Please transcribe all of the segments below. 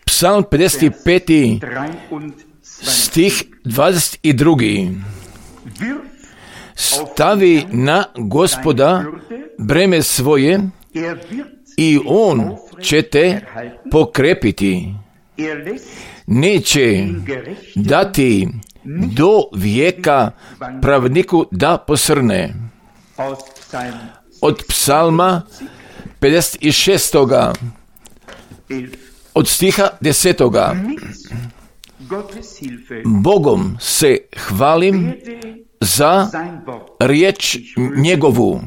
Psalm 55. stih 22. Stavi na Gospoda breme svoje i On će te pokrepiti. Neće dati do vijeka pravniku da posrne. Od Psalma 56. od stiha 10. Bogom se hvalim za riječ njegovu.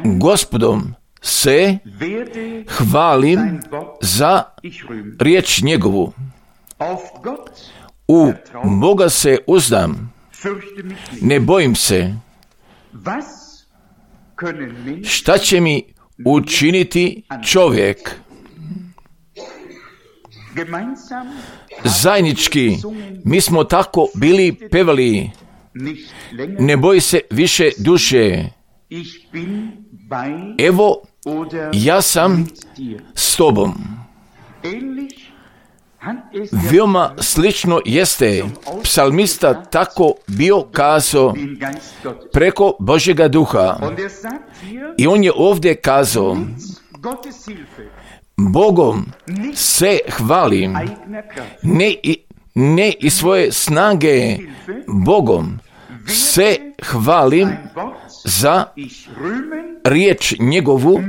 Gospodom se hvalim za riječ njegovu. U Boga se uzdam, ne bojim se. Šta će mi učiniti čovjek? Zajednički mi smo tako bili pevali, ne boj se više duše. Evo, ja sam s tobom. Veoma slično jeste psalmista tako bio kazao preko Božjega duha. I on je ovdje kazao, Bogom se hvalim, ne iz svoje snage, Bogom se hvalim za riječ njegovu,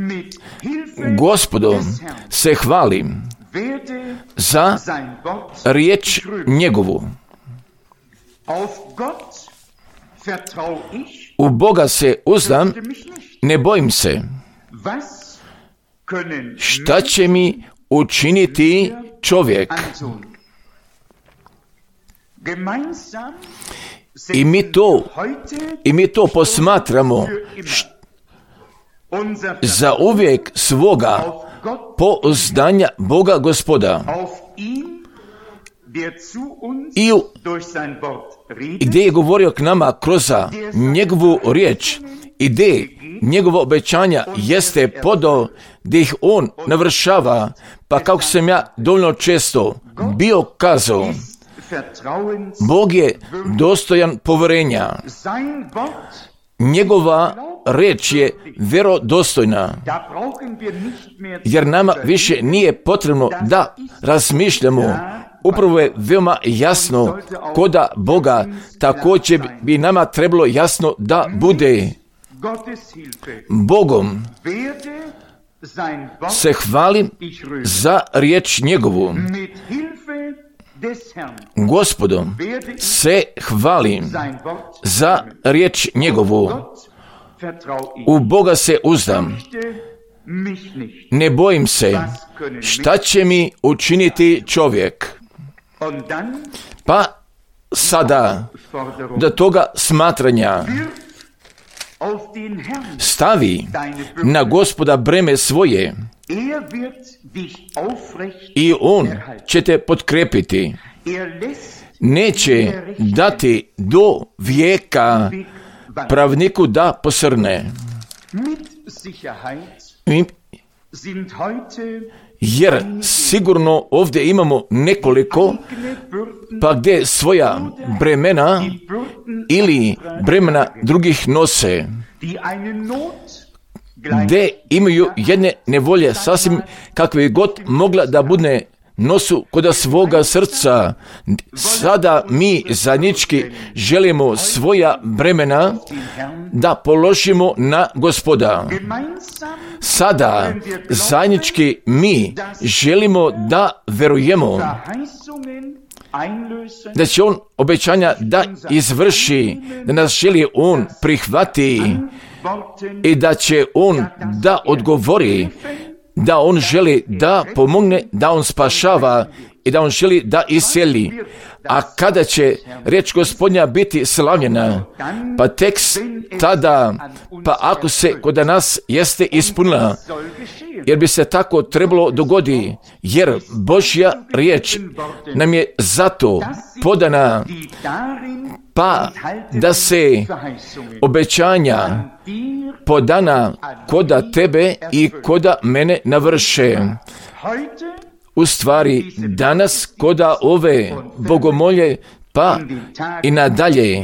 Gospodom se hvalim za riječ njegovu. U Boga se uzdam, ne bojim se. Šta će mi učiniti čovjek? I mi to posmatramo za uvijek svoga pouzdanja Boga Gospoda. I gdje je govorio k nama kroz njegovu riječ, i gdje njegova obećanja jeste podao, gdje ih on navršava, pa kako sam ja dovoljno često bio kazao, Bog je dostojan povjerenja. Njegova riječ je vjerodostojna, jer nama više nije potrebno da razmišljamo. Upravo je veoma jasno koda Boga, također bi nama trebalo jasno da bude. Bogom se hvalim za riječ njegovu. Gospodom se hvalim za riječ njegovu. U Boga se uzdam, ne bojim se. Šta će mi učiniti čovjek? Pa sada do toga smatranja stavi na Gospoda breme svoje i On će te potkrepiti. Neće dati do vijeka pravniku da posrne. Jer sigurno ovdje imamo nekoliko, pa gdje svoja bremena ili bremena drugih nose, gdje imaju jedne nevolje sasvim kakve god mogla da bude nosu koda svoga srca. Sada mi zajednički želimo svoja bremena da položimo na Gospoda. Sada zajednički mi želimo da verujemo da će On obećanja da izvrši, da nas želi On prihvati i da će On da odgovori, da On želi da pomogne, da On spašava i da On želi da iseli. A kada će riječ Gospodnja biti slavljena? Pa tek tada, pa ako se kod nas jeste ispunila. jer bi se tako trebalo dogoditi, jer Božja riječ nam je zato podana, pa da se obećanja podana koda tebe i koda mene navrše. U stvari, danas koda ove bogomolje, pa i nadalje,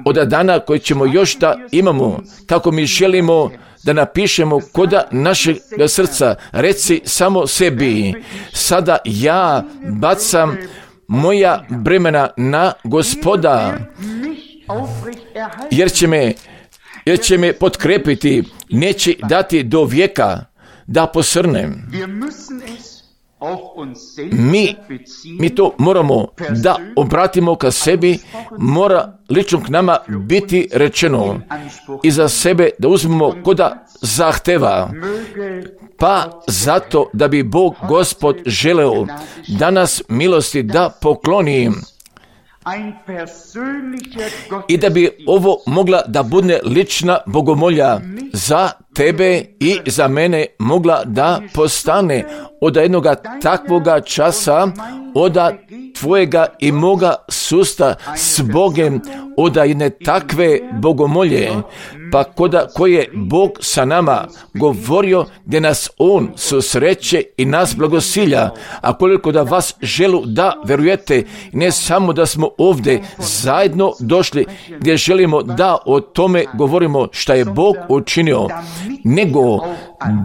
od dana koji ćemo još da imamo, kako mi želimo da napišemo koda našeg srca, reci samo sebi, sada ja bacam moja bremena na Gospoda, jer će me potkrepiti, neće dati do vijeka da posrnem. Mi to moramo da obratimo ka sebi, mora lično k nama biti rečeno i za sebe da uzmemo koda zahteva. Pa zato da bi Bog Gospod želeo da nas milosti da pokloni i da bi ovo mogla da bude lična bogomolja za tebe i za mene mogla da postane od jednoga takvoga časa, od tvojega i moga susta s Bogem, od jedne takve bogomolje, pa koje Bog sa nama govorio, gdje nas On susreće i nas blagosilja. A koliko da vas želu da verujete, ne samo da smo ovdje zajedno došli, gdje želimo da o tome govorimo šta je Bog učinio, nego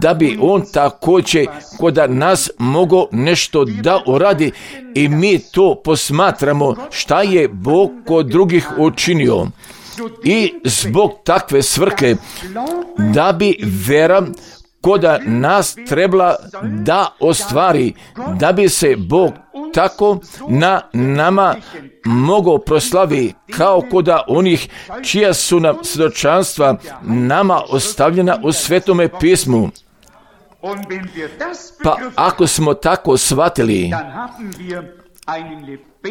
da bi On također kod nas mogao nešto da uradi i mi to posmatramo šta je Bog kod drugih učinio. I zbog takve svrhe da bi vera koda nas trebala da ostvari, da bi se Bog tako na nama mogao proslavi kao koda onih čija su nam svjedočanstva nama ostavljena u Svetome pismu. Pa ako smo tako shvatili,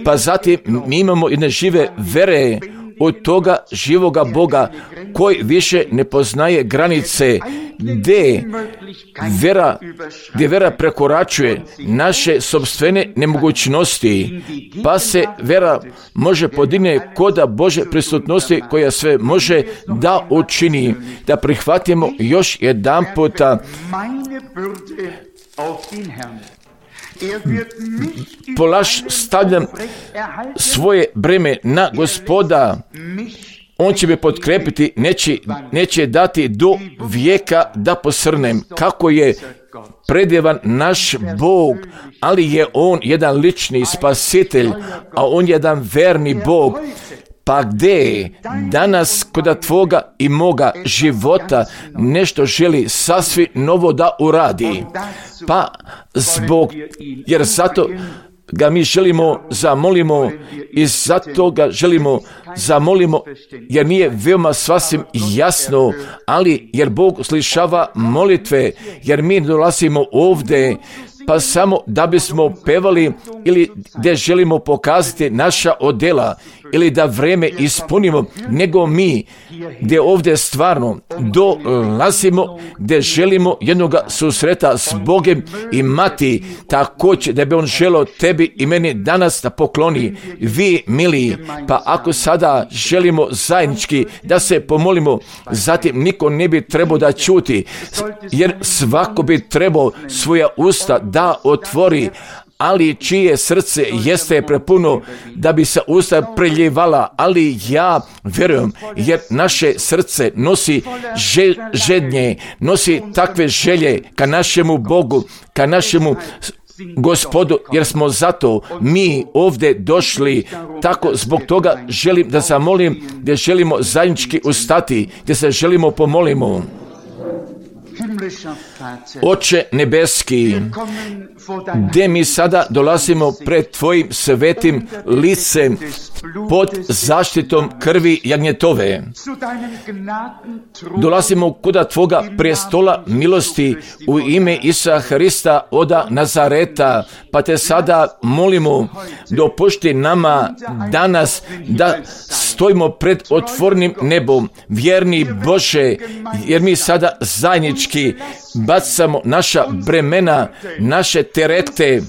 pa zatim mi imamo jedne žive vere od toga živoga Boga koji više ne poznaje granice, gdje vera prekoračuje naše sopstvene nemogućnosti, pa se vera može podigne koda Bože prisutnosti koja sve može da učini, da prihvatimo još jedan puta. Stavljam svoje breme na Gospoda, On će me potkrepiti, neće dati do vijeka da posrnem. Kako je predjevan naš Bog, ali je On jedan lični spasitelj, a On je jedan verni Bog. Pa gdje danas kod tvoga i moga života nešto želi sasvim novo da uradi? Pa jer zato ga mi želimo zamolimo i zato ga želimo zamolimo, jer nije veoma sasvim jasno, ali jer Bog slišava molitve, jer mi dolazimo ovdje pa samo da bismo pevali ili gdje želimo pokazati naša odjela ili da vreme ispunimo, nego mi gdje ovdje stvarno dolazimo, gdje želimo jednoga susreta s Bogem imati, također da bi On želio tebi i meni danas da pokloni. Vi, mili, pa ako sada želimo zajednički da se pomolimo, zatim niko ne bi trebao da čuti, jer svako bi trebao svoja usta da otvori, ali čije srce jeste prepuno da bi se usta preljevala, ali ja vjerujem, jer naše srce nosi žednje, nosi takve želje ka našemu Bogu, ka našemu Gospodu, jer smo zato mi ovdje došli. Tako zbog toga želim da zamolim, gdje želimo zajednički ustati, gdje se želimo pomolimo. Oče nebeski, gdje mi sada dolazimo pred Tvojim svetim licem, pod zaštitom krvi jagnjetove. Dolazimo kuda Tvoga prestola milosti u ime Isusa Hrista oda Nazareta, pa Te sada molimo, dopušti nama danas da stojimo pred otvornim nebom, vjerni Bože, jer mi sada zajednički bacamo naša bremena, naše terete,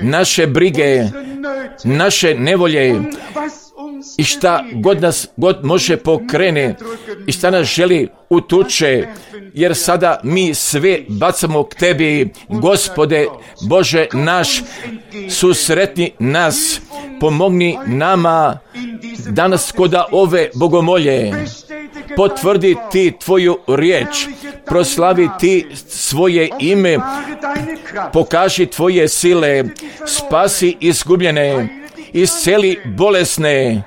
naše brige, naše nevolje i šta god nas god može pokrene i šta nas želi utuče, jer sada mi sve bacamo k Tebi, Gospode Bože naš, susretni nas, pomogni nama danas koda ove bogomolje, potvrdi Ti Tvoju riječ, proslavi Ti svoje ime, pokaži Tvoje sile, spasi izgubljene, isceli bolesne,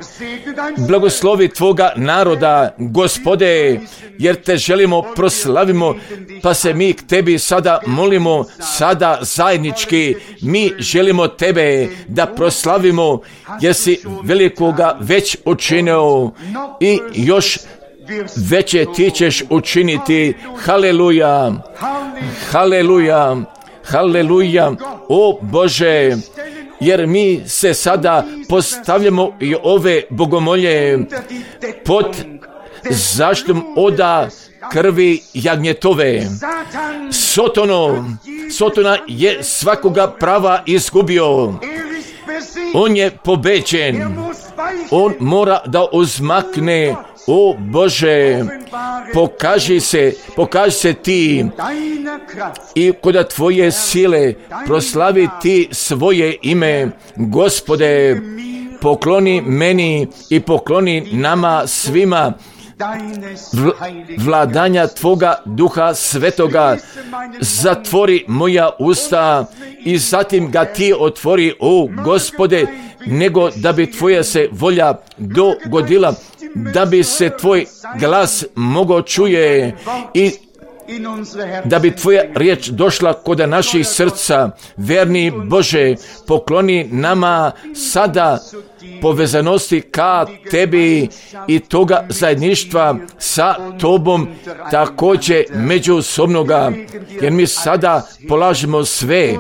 blagoslovi Tvoga naroda, Gospode, jer Te želimo, proslavimo, pa se mi k Tebi sada molimo, sada zajednički, mi želimo Tebe da proslavimo, jer si velikoga već učinio i još veće Ti ćeš učiniti. Haleluja, haleluja, haleluja, o Bože, jer mi se sada postavljamo i ove bogomolje pod zaštitom oda krvi jagnjetove. Sotona je svakoga prava izgubio. On je pobeđen. On mora da uzmakne. O Bože, pokaži se Ti i kod Tvoje sile proslavi Ti svoje ime. Gospode, pokloni meni i pokloni nama svima vladanja Tvoga Duha Svetoga. Zatvori moja usta i zatim ga Ti otvori, o Gospode, nego da bi Tvoja se volja dogodila, da bi se Tvoj glas mogao čuje i da bi Tvoja riječ došla kod naših srca. Verni Bože, pokloni nama sada povezanosti ka Tebi i toga zajedništva sa Tobom, također međusobnoga, jer mi sada polažemo sve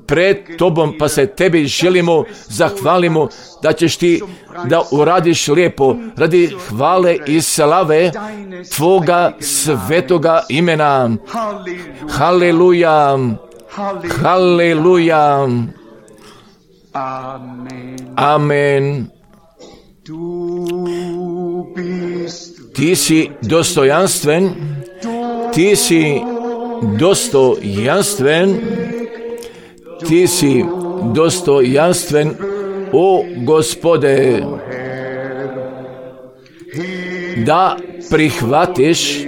pred Tobom, pa se Tebi želimo, zahvalimo da ćeš Ti da uradiš lijepo radi hvale i slave Tvoga svetoga imena. Haleluja, haleluja, amen. Ti si dostojanstven, Ti si dostojanstven, Ti si dostojanstven, o Gospode, da prihvatiš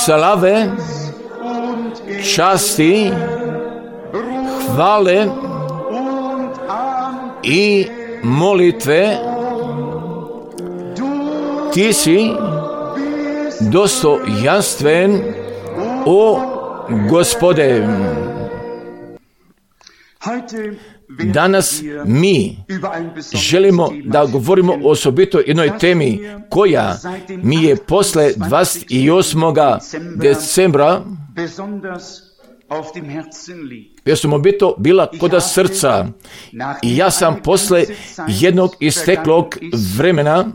slave, časti, hvale i molitve. Ti si dostojanstven, o Gospode. Danas mi želimo da govorimo osobito jednoj temi koja mi je posle 28. decembra osobito bila kod srca i ja sam posle jednog isteklog vremena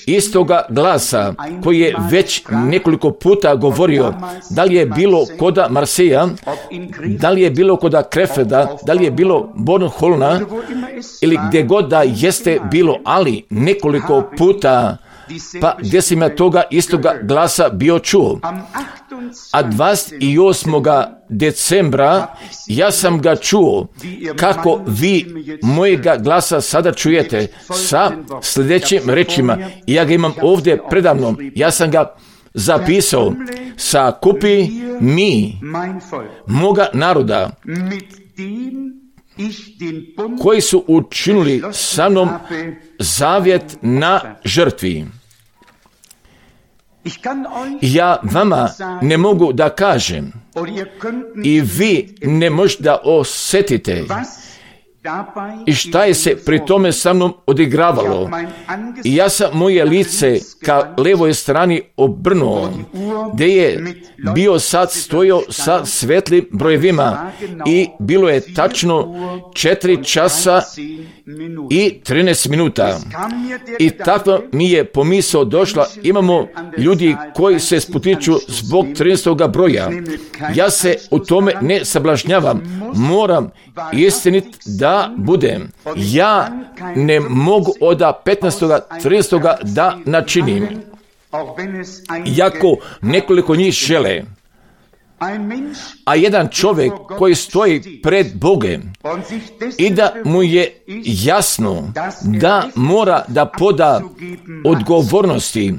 istoga glasa koji je već nekoliko puta govorio, da li je bilo koda Marseja, da li je bilo koda Krefeda, da li je bilo Bornholna ili gdje god da jeste bilo, ali nekoliko puta, pa gdje sam ja toga istoga glasa bio čuo. A 28. decembra ja sam ga čuo kako vi mojega glasa sada čujete sa sljedećim rečima. Ja ga imam ovdje predavnom. Ja sam ga zapisao. Sakupi mi moga naroda koji su učinili sa mnom zavjet na žrtvi. Ja vama ne mogu da kažem i vi ne možete da osjetite i šta je se pri tome sa mnom odigravalo. I ja sam moje lice ka levoj strani obrnuo, gdje je bio sad stojao sa svetlim brojevima i bilo je tačno 4 časa i 13 minuta. I tako mi je pomisao došla, imamo ljudi koji se sputiču zbog 13. broja. Ja se u tome ne sablažnjavam, moram istinit da budem. Ja ne mogu od 15. 13. da načinim, iako nekoliko njih žele. A jedan čovjek koji stoji pred Bogem i da mu je jasno da mora da poda odgovornosti,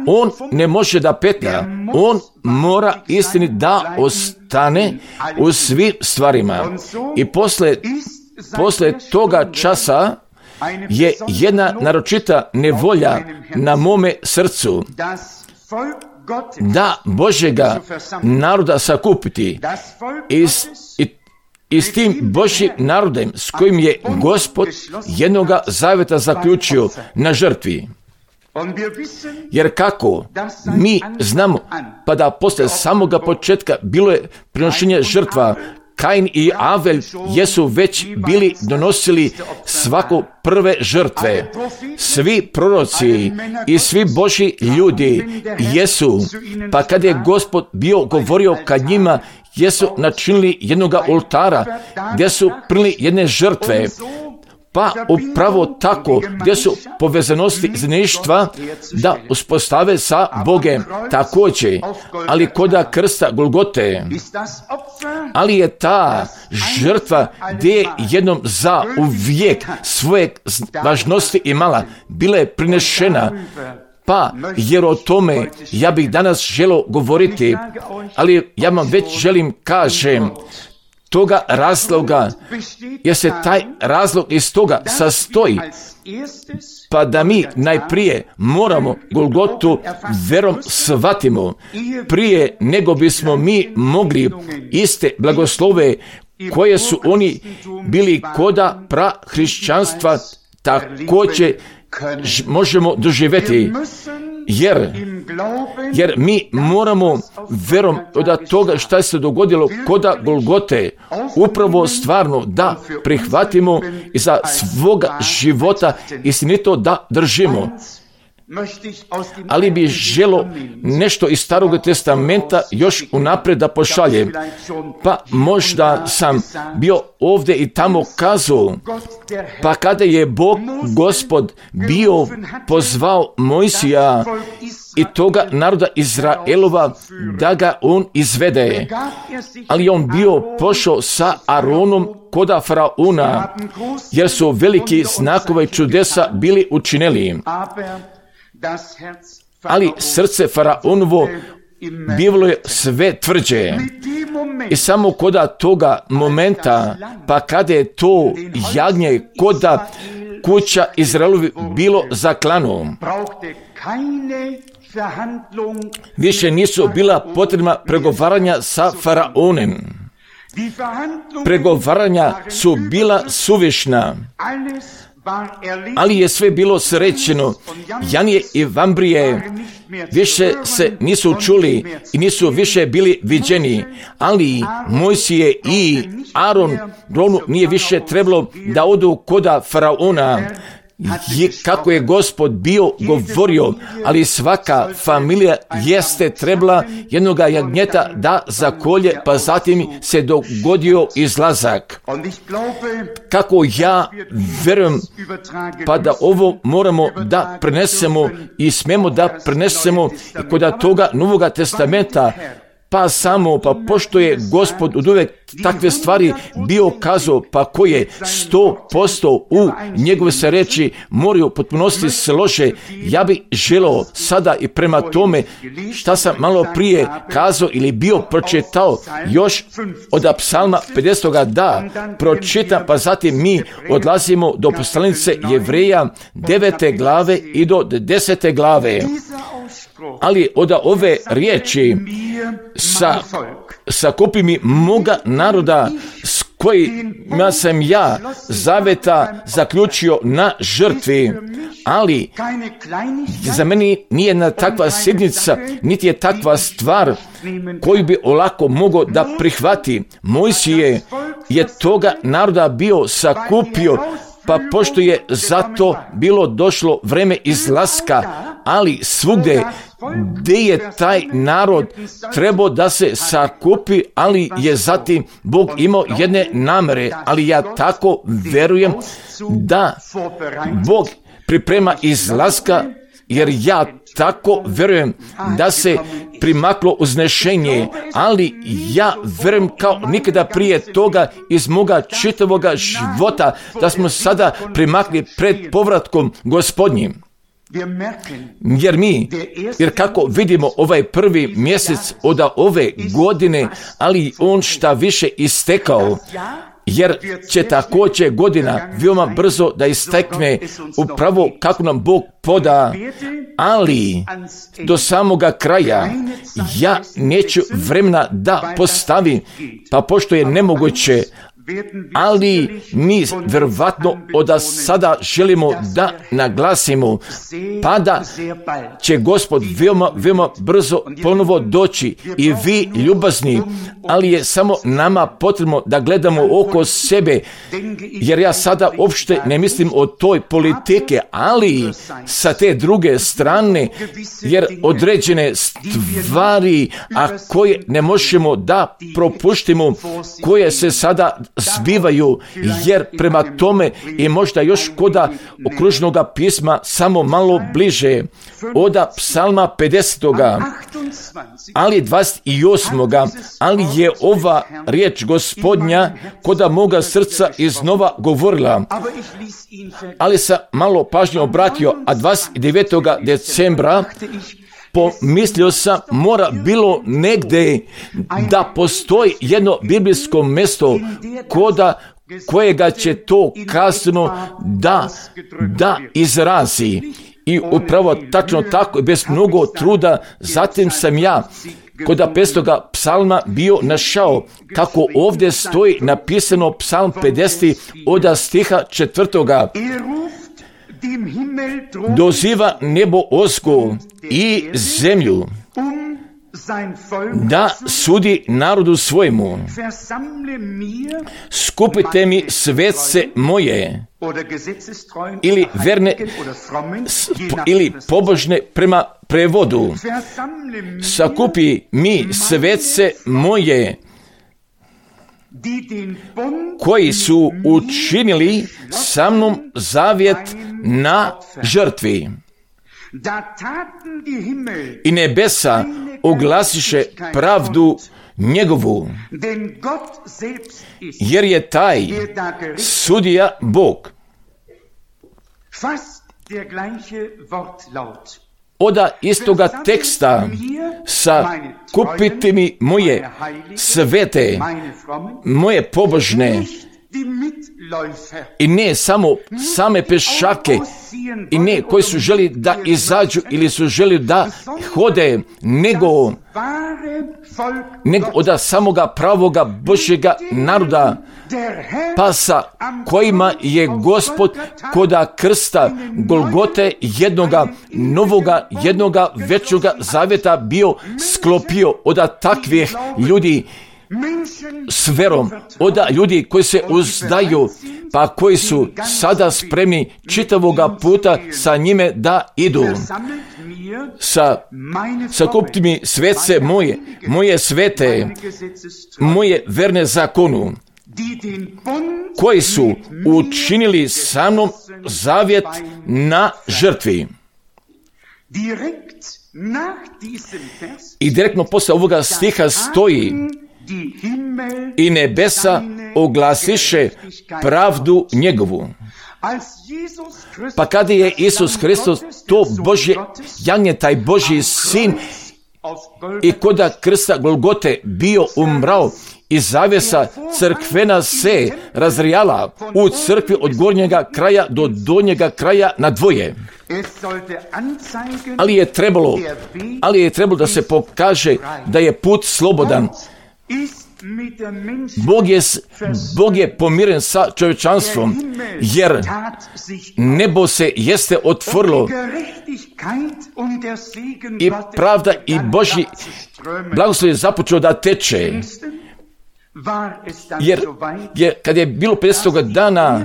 on ne može da petlja, on mora istini da ostane u svim stvarima. I posle toga časa je jedna naročita nevolja na mome srcu, da Božjega naroda sakupiti i s tim Božjim narodem s kojim je Gospod jednoga zaveta zaključio na žrtvi. Jer kako mi znamo, pa da posle samoga početka bilo je prinošenje žrtva, Kain i Avel jesu već bili donosili svako prve žrtve. Svi proroci i svi Božji ljudi jesu, pa kad je Gospod bio govorio kad njima, jesu načinili jednoga oltara gdje su prili jedne žrtve. Pa upravo tako gdje su povezanosti zajedništva da uspostave sa Bogem također, ali koda krsta Golgote, ali je ta žrtva gdje je jednom za uvijek svoje važnosti imala, bila je prinešena. Pa, jer o tome ja bih danas želio govoriti, ali ja vam već želim kažem, toga razloga, jer se taj razlog iz toga sastoji, pa da mi najprije moramo Golgotu verom shvatimo, prije nego bismo mi mogli iste blagoslove koje su oni bili koda prahrišćanstva također možemo doživjeti. Jer mi moramo verom od toga šta se dogodilo koda Golgote upravo stvarno da prihvatimo i za svoga života istinito da držimo. Ali bi želo nešto iz Starog testamenta još unaprijed da pošaljem. Pa možda sam bio ovdje i tamo kazao, pa kada je Bog Gospod bio pozvao Mojsija i toga naroda Izraelova da ga on izvede, ali on bio pošao sa Aronom koda Faraona, jer su veliki znakove čudesa bili učinili. Ali srce Faraonovo bivalo je sve tvrđe. I samo koda toga momenta, pa kada je to jagnje koda kuća Izraelovi bilo zaklano, više nisu bila potrebna pregovaranja sa Faraonem. Pregovaranja su bila suvišna, ali je sve bilo srećeno. Janije i Vambrije više se nisu čuli i nisu više bili viđeni, ali Mojsije i Aronu nije više trebalo da odu koda Faraona, kako je Gospod bio govorio, ali svaka familija jeste trebala jednoga jagnjeta da zakolje, pa zatim se dogodio izlazak. Kako ja verujem, pa da ovo moramo da prenesemo i smemo da prenesemo i kod toga Novoga testamenta, pa pošto je Gospod od uvek takve stvari bio kazao, pa koje 100% u njegove se reči moraju potpunosti slože, ja bih želeo sada i prema tome šta sam malo prije kazao ili bio pročitao još od Psalma 50. da pročitam, pa zatim mi odlazimo do poslanice Jevreja 9. glave i do 10. glave. Ali od ove riječi sakupi mi moga naroda s kojima sam ja zaveta zaključio na žrtvi, ali za meni nije jedna takva sjednica, niti je takva stvar koju bi olako mogao da prihvati. Mojsije je toga naroda bio sakupio, pa pošto je zato bilo došlo vreme izlaska, ali svugde gdje je taj narod trebao da se sakupi, ali je zatim Bog imao jedne namere, ali ja tako verujem da Bog priprema izlaska, jer ja tako verujem da se primaklo uznešenje, ali ja verujem kao nikada prije toga iz moga čitavoga života da smo sada primakli pred povratkom Gospodnjim. Jer kako vidimo ovaj prvi mjesec od ove godine, ali on šta više istekao, jer će također godina veoma brzo da istekne upravo kako nam Bog poda, ali do samoga kraja ja neću vremena da postavim, pa pošto je nemoguće, ali mi verovatno od sada želimo da naglasimo, pa da će Gospod veoma brzo ponovo doći i vi ljubazni, ali je samo nama potrebno da gledamo oko sebe, jer ja sada uopšte ne mislim o toj politike, ali sa te druge strane, jer određene stvari, a koje ne možemo da propuštimo, koje se sada zbivaju, jer prema tome i možda još koda okružnog pisma samo malo bliže, oda psalma 50. ali 28. ali je ova riječ Gospodnja koda moga srca iznova govorila, ali sam malo pažnje obratio, a 29. decembra pomislio sam, mora bilo negdje da postoji jedno biblijsko mjesto kojega će to kasno da izrazi. I upravo tačno tako, bez mnogo truda, zatim sam ja kod 5. psalma bio našao kako ovdje stoji napisano psalm 50 od stiha 4. Doziva nebo osko i zemlju da sudi narodu svojemu. Skupite mi svetce moje, ili verne, ili pobožne prema prevodu. Sakupi mi svetce moje, koji su učinili sa mnom zavjet na žrtvi. I nebesa oglasiše pravdu njegovu, jer je taj sudija Bog. Oda istoga teksta sakupiti mi moje svete, moje pobožne, i ne samo same pešake, i ne koji su želi da izađu ili su želi da hode, nego od samoga pravoga Božjega naroda, pa sa kojima je Gospod koda krsta Golgote jednoga novoga, jednoga većoga zavjeta bio sklopio od takvih ljudi s verom, od ljudi koji se uzdaju, pa koji su sada spremni čitavoga puta sa njime da idu. Sakupiti mi svetce moje, moje svete, moje verne zakonu, koji su učinili sa mnom zavjet na žrtvi. I direktno posle ovoga stiha stoji: i nebesa oglasiše pravdu njegovu. Pa kada je Isus Hristos, to Božje jagnje, taj Božji sin, i koda krsta Golgote bio umrao, i zavjesa crkvena se razrijala u crkvi od gornjega kraja do donjega kraja na dvoje. Ali je trebalo da se pokaže da je put slobodan. Bog je pomiren sa čovječanstvom, jer nebo se jeste otvorilo i pravda i Božji blagoslov je započeo da teče. Jer kad je bilo 50. dana,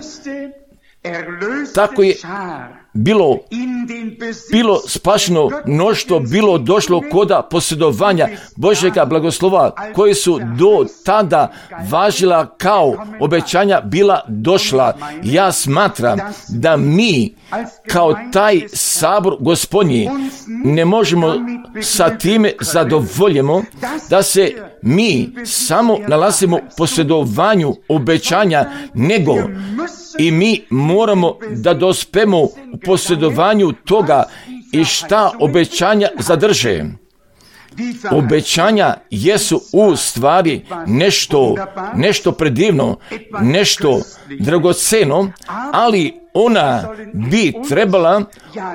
tako je bilo spašeno mnoštvo, bilo došlo koda posjedovanja Božjega blagoslova, koji su do tada važila kao obećanja bila došla. Ja smatram da mi kao taj sabor Gospodnji ne možemo sa time zadovoljimo da se mi samo nalazimo u posjedovanju obećanja, nego i mi moramo da dospemo u posjedovanju toga i šta obećanja zadrže. Obećanja jesu u stvari nešto predivno, nešto dragoceno, ali ona bi trebala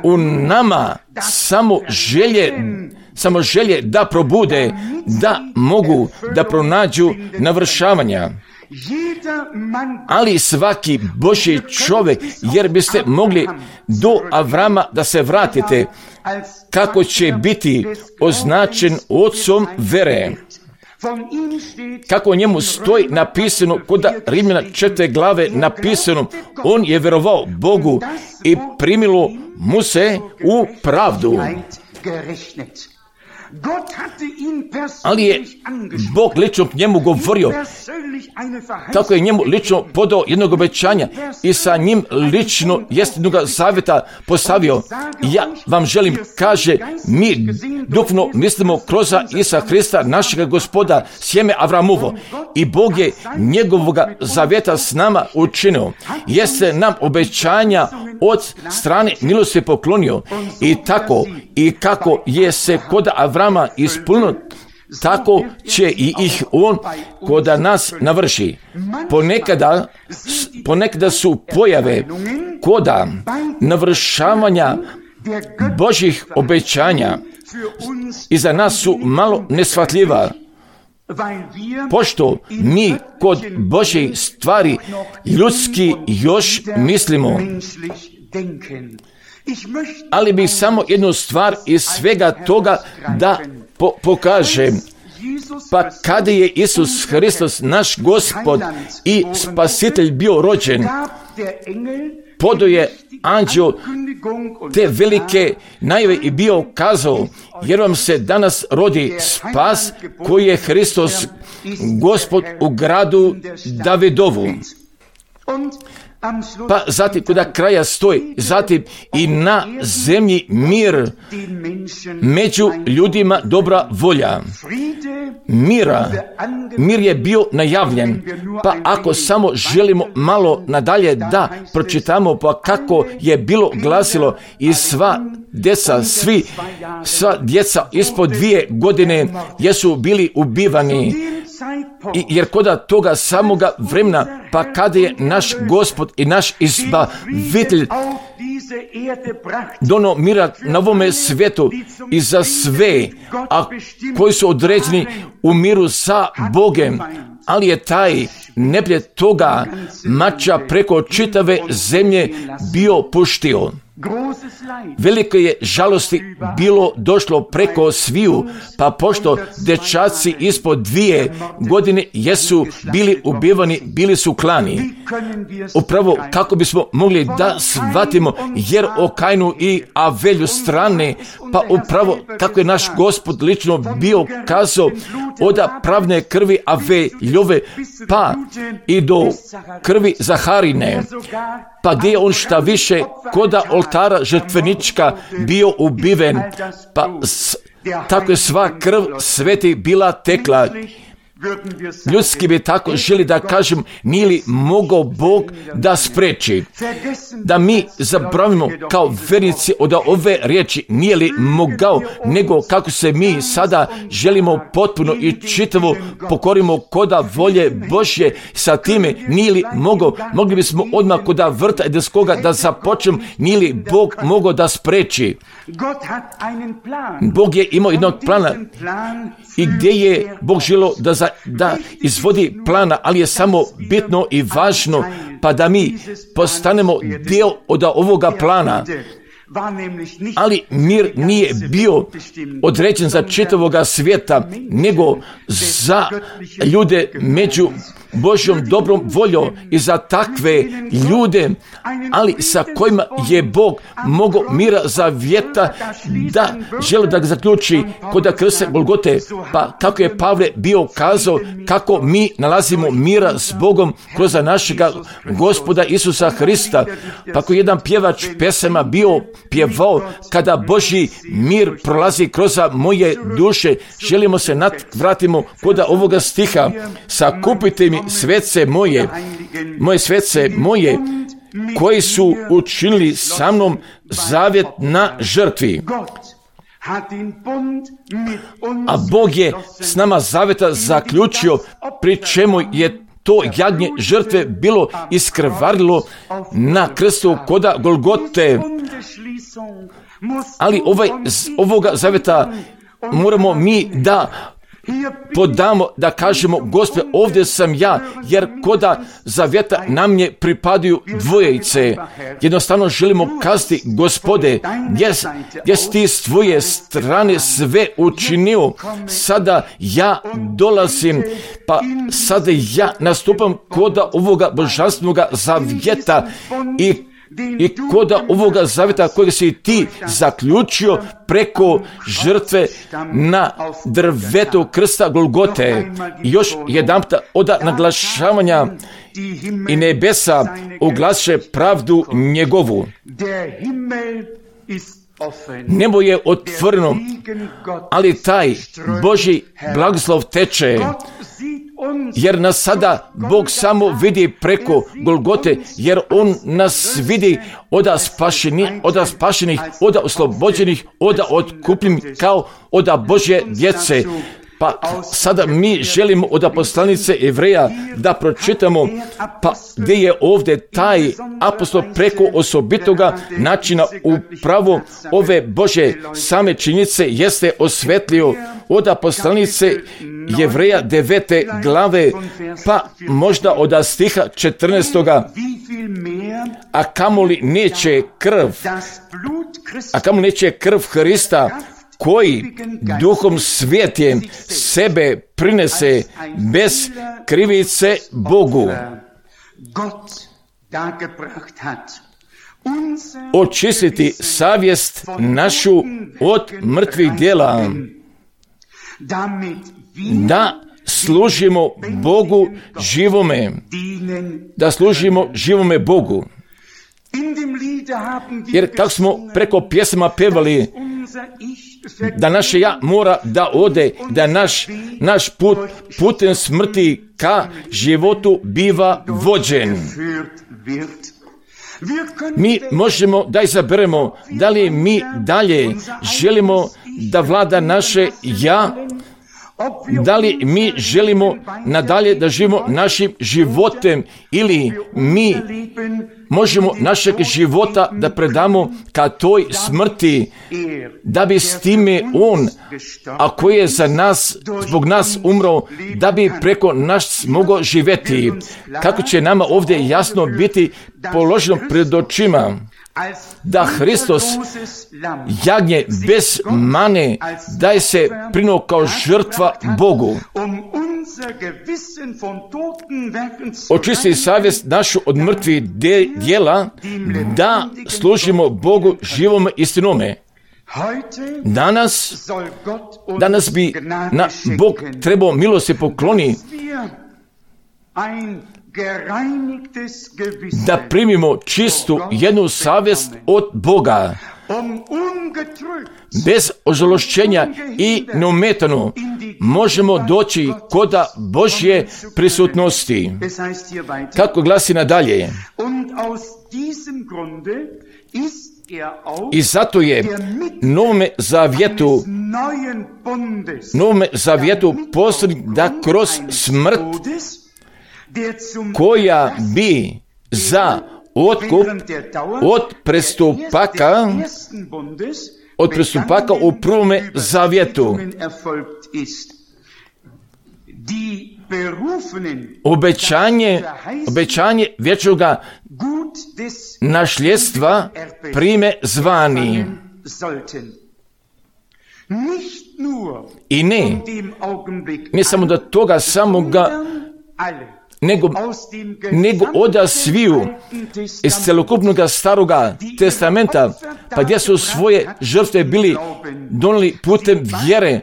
u nama samo želje da probude, da mogu da pronađu navršavanja. Ali svaki Božji čovjek, jer biste mogli do Avrama da se vratite, kako će biti označen ocom vere. Kako o njemu stoji napisano kod Rimljana 4. glave napisano, on je vjerovao Bogu i primilo mu se u pravdu. Ali je Bog lično k njemu govorio, tako je njemu lično podao jednog obećanja i sa njim lično jednog zavjeta postavio. Ja vam želim, kaže, mi duhovno mislimo kroz Isa Hrista, našega Gospoda, sjeme Avramovo, i Bog je njegovoga zavjeta s nama učinio. Jeste nam obećanja od strane milosti poklonio, i tako i kako je se kod Avrama ispunilo, tako će i ih on kod nas navrši. Ponekada su pojave koda navršavanja Božjih obećanja i za nas su malo neshvatljiva, pošto mi kod Božjih stvari ljudski još mislimo. Ali bih samo jednu stvar iz svega toga da pokažem. Pa kada je Isus Hristos, naš Gospod i Spasitelj, bio rođen, podao je anđeo te velike najave i bio kazao, jer vam se danas rodi spas, koji je Hristos Gospod u gradu Davidovu. Pa zatim kod kraja stoji, zatim i na zemlji mir, među ljudima dobra volja. Mir je bio najavljen, pa ako samo želimo malo nadalje da pročitamo, pa kako je bilo glasilo, i sva djeca ispod 2 godine jesu bili ubivani. Jer kod toga samoga vremena, pa kada je naš Gospod i naš Izbavitelj dono mira na ovome svijetu i za sve, a koji su određeni u miru sa Bogem, ali je taj neprijatelj toga mača preko čitave zemlje bio puštio. Velike je žalosti bilo došlo preko sviju, pa pošto dečaci ispod 2 godine jesu bili ubivani, bili su klani. Upravo kako bismo mogli da shvatimo, jer o Kainu i Avelju strane, pa upravo kako je naš Gospod lično bio kazao od pravne krvi Aveljove, pa i do krvi Zaharine, pa gdje je on šta više koda oltara žrtvenička bio ubiven, pa tako je sva krv sveti bila tekla. Ljudski bi tako želi da kažem, nije li mogao Bog da spreči, da mi zaboravimo kao vernici od ove riječi, nije li mogao, nego kako se mi sada želimo potpuno i čitavo pokorimo koda volje Božje, sa time nije li mogao, mogli bismo odmah koda vrta edenskoga da započnem, nije li Bog mogao da spreči. Bog je imao jednog plana i gdje je Bog želio da za da izvodi plana, ali je samo bitno i važno, pa da mi postanemo dio od ovoga plana. Ali mir nije bio određen za čitavoga svijeta, nego za ljude među Božjom dobrom voljom i za takve ljude, ali sa kojima je Bog mogao mira zavjeta da želi da ga zaključi kod krsta Golgote. Pa kako je Pavle bio kazao, kako mi nalazimo mira s Bogom kroz našega Gospoda Isusa Hrista. Pa ako jedan pjevač pesama bio pjevao, kada Božji mir prolazi kroz moje duše, želimo se vratimo kod ovoga stiha. Sakupite mi svece moje svece moje, koji su učinili sa mnom zavjet na žrtvi. A Bog je s nama zavjeta zaključio, pri čemu je to jagnje žrtve bilo iskrvarilo na krstu koda Golgote. Ali ovoga zavjeta moramo mi da podamo, da kažemo, Gospode, ovdje sam ja, jer koda zavjeta nam je pripadaju dvojice. Jednostavno želimo kazati, Gospode, jes ti s tvoje strane sve učinio, sada ja dolazim, pa sada ja nastupam koda ovoga božanstvenog zavjeta i koda ovoga zavjeta kojeg si ti zaključio preko žrtve na drvetu krsta Golgote. I još jedanput od naglašavanja i nebesa oglaše pravdu njegovu. Nebo je otvoreno, ali taj Božji blagoslov teče, jer nas sada Bog samo vidi preko Golgote, jer On nas vidi od spašenih, od oslobođenih, od otkupljenih kao od Božje djece. Pa sada mi želimo od poslanice Evreja da pročitamo, pa gdje je ovdje taj apostol preko osobitoga načina upravo ove Bože same činjenice jeste osvetlio od poslanice Jevreja 9. glave, pa možda od stiha 14. A kamoli neće krv Hrista, koji Duhom Svjetim sebe prinese bez krivice Bogu, očistiti savjest našu od mrtvih djela, da služimo Bogu živome, Bogu. Jer kako smo preko pjesama pevali, da naše ja mora da ode, da naš put putem smrti ka životu biva vođen. Mi možemo da izaberemo da li mi dalje želimo da vlada naše ja, da li mi želimo nadalje da živimo našim životem, ili mi možemo našeg života da predamo ka toj smrti, da bi s time On, a koji je za nas, zbog nas umro, da bi preko nas mogao živjeti. Kako će nama ovdje jasno biti položeno pred očima, da Hristos, jagnje bez mane, daje se prinuo kao žrtva Bogu. Očisti savjest našu od mrtvih djela, da služimo Bogu živom istinome. Danas bi Bog trebao milosti pokloni, da primimo čistu jednu savjest od Boga, bez ožalošćenja i neometano možemo doći kod Božje prisutnosti. Kako glasi nadalje? I zato je novome zavjetu posrednik da kroz smrt, koja bi za otkup od prestupaka u prvome zavjetu. obećanje vječnoga nasljedstva prime zvani. I ne samo do toga samoga, nego od sviju iz celokupnog staroga testamenta, pa gdje su svoje žrtve bili donijeli putem vjere,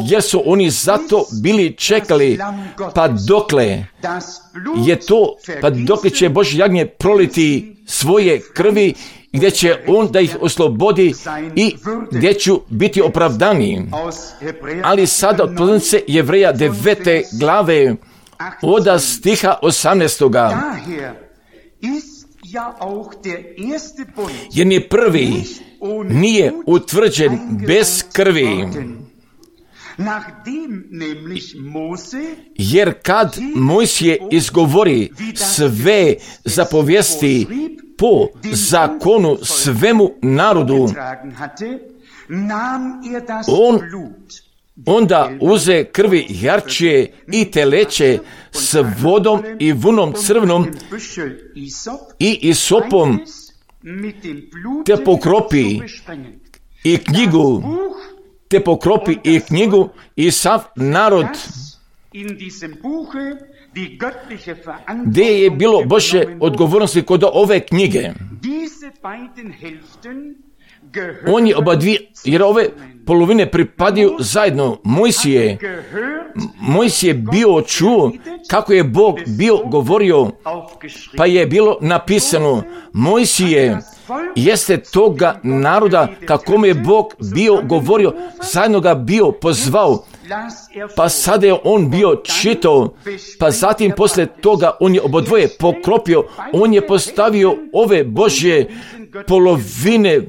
jer su oni zato bili čekali, pa dokle će Božje jagnje proliti svoje krvi, gdje će on da ih oslobodi i gdje ću biti opravdani. Ali sada od pozornice Jevreja 9. glave od stiha 18. Jer ni prvi nije utvrđen bez krvi. Jer kad Mojsije izgovori sve zapovijesti po zakonu svemu narodu, onda uze krvi jarčije i teleće s vodom i vunom crvenom i isopom, te pokropi i knjigu i sav narod. Gdje je bilo Božje odgovornosti kod ove knjige? On je jer ove polovine pripadaju zajedno. Mojsije bio čuo kako je Bog bio govorio, pa je bilo napisano: Mojsije jeste toga naroda kakome je Bog bio govorio, zajedno ga bio pozvao, pa sada je on bio čitao, pa zatim poslije toga on je obodvoje pokropio, on je postavio ove Božje polovine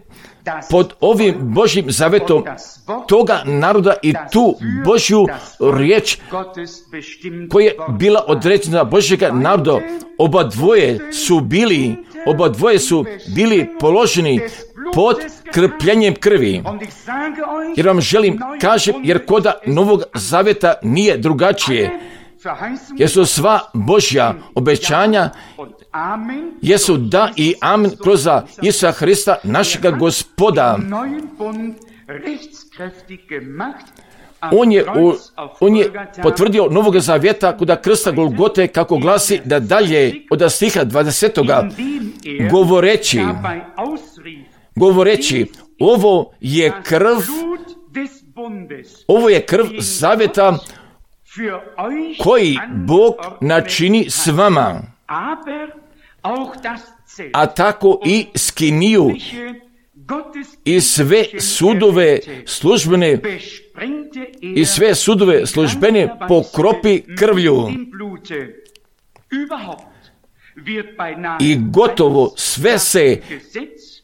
pod ovim Božjim zavetom toga naroda i tu Božju riječ koja je bila određena Božjega naroda. Obadvoje su bili položeni pod krpljenjem krvi. Jer vam želim kažem, jer koda Novog Zaveta nije drugačije. Jer su sva Božja obećanja jesu da i amen kroz Isusa Hrista, našega Gospoda. On je potvrdio Novog Zavjeta kod krsta Golgote, kako glasi da dalje od stiha 20. govoreći ovo je krv zavjeta koji Bog načini s vama, a tako i skiniju i sve sudove službene pokropi krvlju. I gotovo sve se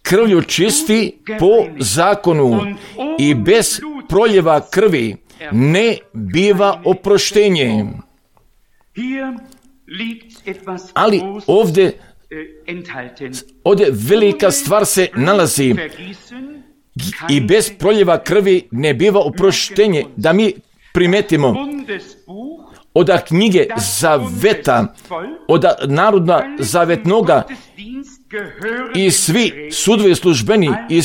krvlju čisti po zakonu i bez proljeva krvi ne biva oproštenje. Ali ovdje velika stvar se nalazi i bez proljeva krvi ne biva oproštenje. Da mi primetimo od knjige Zaveta, od narodna zavetnoga i svi sudovi službeni i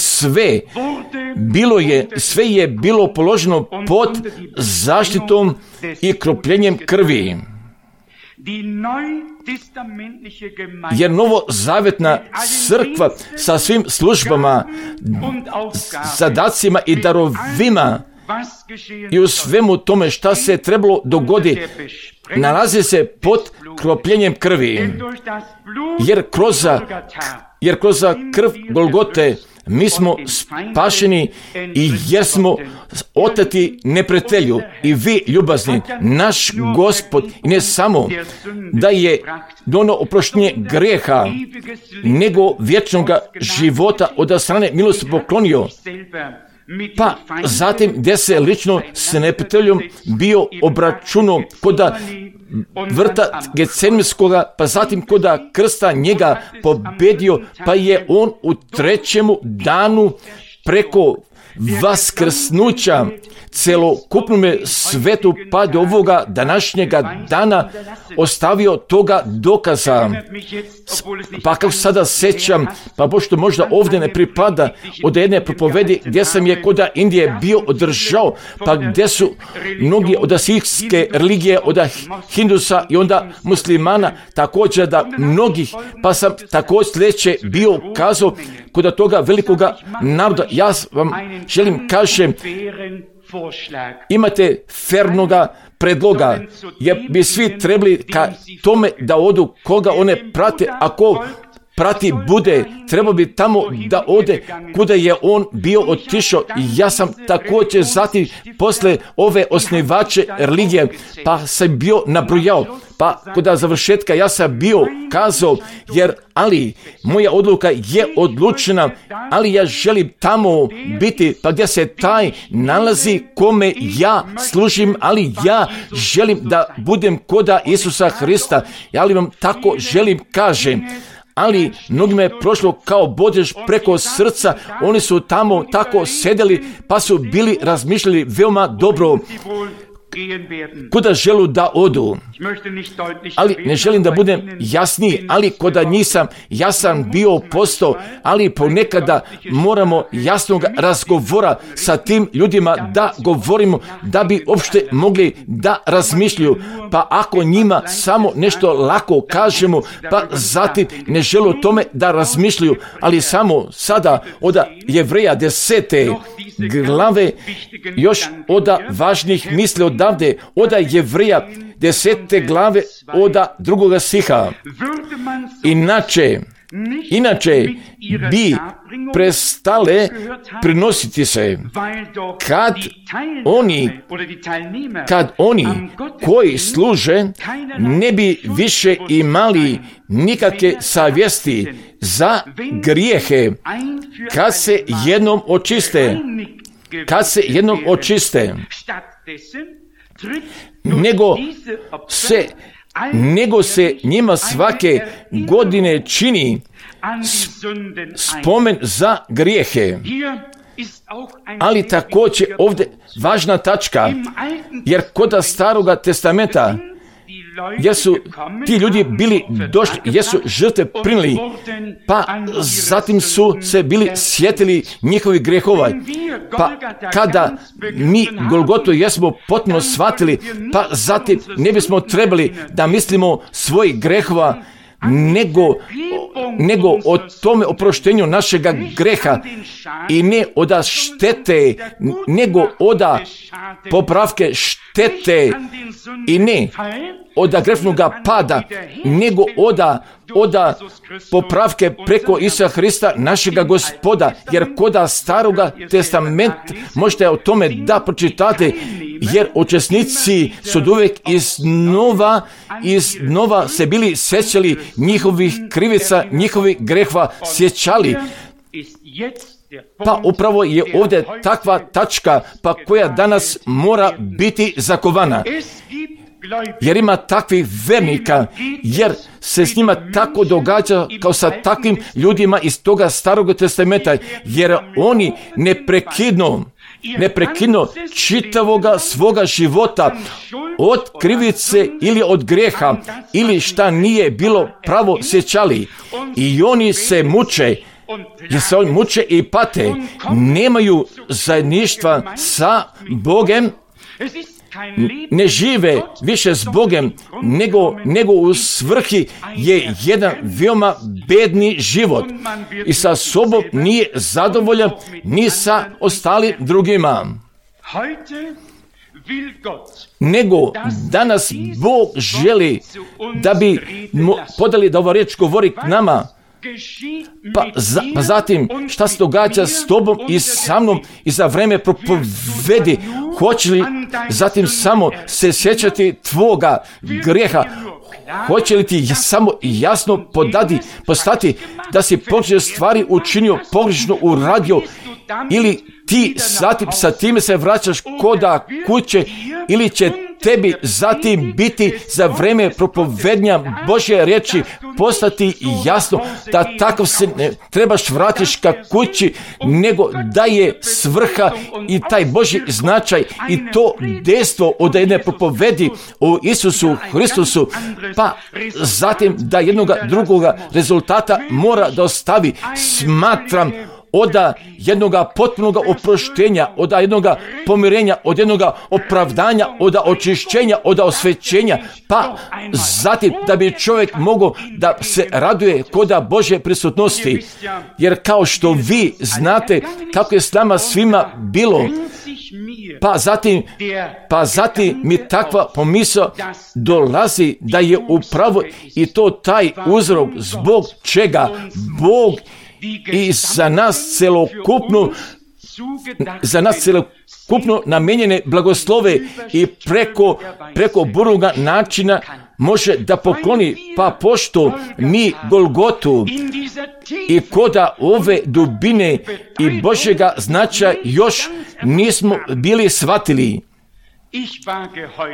sve je bilo položeno pod zaštitom i kropljenjem krvi. Jer novozavetna crkva sa svim službama, zadacima i darovima i u svemu tome šta se trebalo dogoditi, nalazi se pod kropljenjem krvi. Jer kroz krv Golgote mi smo spašeni i jer smo oteti neprijatelju. I vi, ljubazni, naš Gospod, i ne samo da je donio oproštenje grijeha, nego vječnoga života od strane milosti poklonio. Pa zatim gdje se lično s neprijateljom bio obračunao kod vrta Getsemanskoga, pa zatim kod krsta njega pobedio, pa je on u 3. danu preko vaskrsnuća, celokupnome svetu pa do ovoga današnjega dana ostavio toga dokaza. Pa kako sada sećam, pa pošto možda ovdje ne pripada, od jedne propovedi gdje sam je kod Indije bio održao, pa gdje su mnogi od sikske religije, od hindusa i onda muslimana, također da mnogih, pa sam također sljedeće bio kazao kod toga velikoga naroda. Ja vam želim kažem, imate fernoga predloga, jer bi svi trebali ka tome da odu koga one prate, ako prati bude, treba bi tamo da ode kuda je on bio otišao. I ja sam također zatim posle ove osnivače religije, pa sam bio nabrojao, pa kod završetka ja sam bio kazao, ali moja odluka je odlučena, ali ja želim tamo biti, pa gdje se taj nalazi kome ja služim, ali ja želim da budem koda Isusa Hrista. Ja li vam tako želim kažem. Ali mnogima je prošlo kao bodež preko srca, oni su tamo tako sedeli, pa su bili razmišljali veoma dobro kuda želu da odu. Ali ne želim da budem jasniji, ali koda nisam jasan bio postao, ali ponekada moramo jasnog razgovora sa tim ljudima da govorimo, da bi uopšte mogli da razmišljaju. Pa ako njima samo nešto lako kažemo, pa zatim ne žele o tome da razmišljaju, ali samo sada od Jevreja 10. glave još od važnih misli odavde, od Jevreja 10. glave od 2. stiha. Inače bi prestale prinositi se kad oni koji služe ne bi više imali nikakve savjesti za grijehe kad se jednom očiste, nego se njima svake godine čini spomen za grijehe. Ali također ovdje važna tačka, jer kod Staroga testamenta jesu ti ljudi bili došli, jesu žrtve primili, pa zatim su se bili sjetili njihovih grehova. Pa kada mi Golgotu jesmo potpuno shvatili, pa zatim ne bismo trebali da mislimo svojih grehova, nego o tome oproštenju našega greha i ne od štete, nego od popravke štete i ne od grešnoga pada, nego od popravke preko Isusa Hrista našega Gospoda, jer kod Staroga testamenta možete o tome da pročitate, jer učesnici su uvijek iznova se bili sjećali njihovih krivica, njihovih grehova sjećali. Pa upravo je ovdje takva tačka, pa koja danas mora biti zakovana. Jer ima takvih vernika, jer se s njima tako događa kao sa takvim ljudima iz toga Starog testamenta, jer oni neprekidno čitavoga svoga života od krivice ili od greha ili šta nije bilo pravo sjećali. I oni se muče, jer se oni muče i pate, nemaju zajedništva sa Bogem, ne žive više s Bogem, nego u svrhi je jedan veoma bedni život i sa sobom nije zadovoljan ni sa ostalim drugima. Nego danas Bog želi da bi podali da ova riječ govori k nama. Pa zatim šta se događa s tobom i sa mnom i za vreme propovedi, hoće li zatim samo se sjećati tvoga grijeha, hoće li ti samo jasno postati da si pogrešne stvari učinio, pogrešno uradio, ili ti zatim sa time se vraćaš koda kuće, ili će tebi zatim biti za vreme propovednja Božje riječi postati jasno da takav se ne trebaš vratiš ka kući, nego da je svrha i taj Božji značaj i to dejstvo od jedne propovedi o Isusu Hristusu, pa zatim da jednoga drugoga rezultata mora da ostavi. Smatram od jednoga potpunoga oproštenja, od jednoga pomirenja, od jednoga opravdanja, od očišćenja, od osvećenja, pa zatim da bi čovjek mogao da se raduje kod Božje prisutnosti. Jer kao što vi znate kako je s nama svima bilo, pa zatim mi takva pomisao dolazi da je upravo i to taj uzrok zbog čega Bog i za nas celokupno namijenjene blagoslove i preko burnoga načina može da pokloni, pa pošto mi Golgotu i koda ove dubine i Božjega značaja još nismo bili shvatili.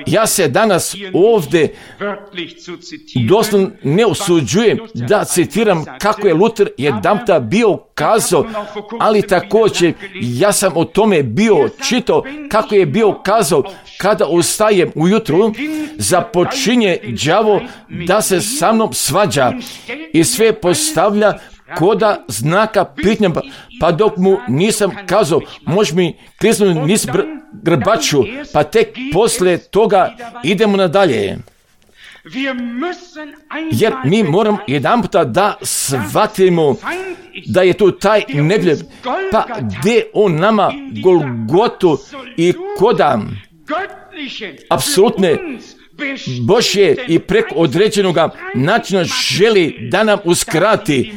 Ja se danas ovdje doslovno ne usuđujem da citiram kako je Luter jedanputa bio kazao, ali također ja sam o tome bio čitao kako je bio kazao: kada ustajem ujutru, započinje đavo da se sa mnom svađa i sve postavlja koda znaka pitnja, pa dok mu nisam kazao, može mi kliznuti niz grbaču, pa tek poslije toga idemo nadalje. Jer mi moramo jedanputa da shvatimo da je tu taj neprijatelj, pa gdje on nama Golgotu i koda apsolutne Božje i preko određenoga načina želi da nam uskrati,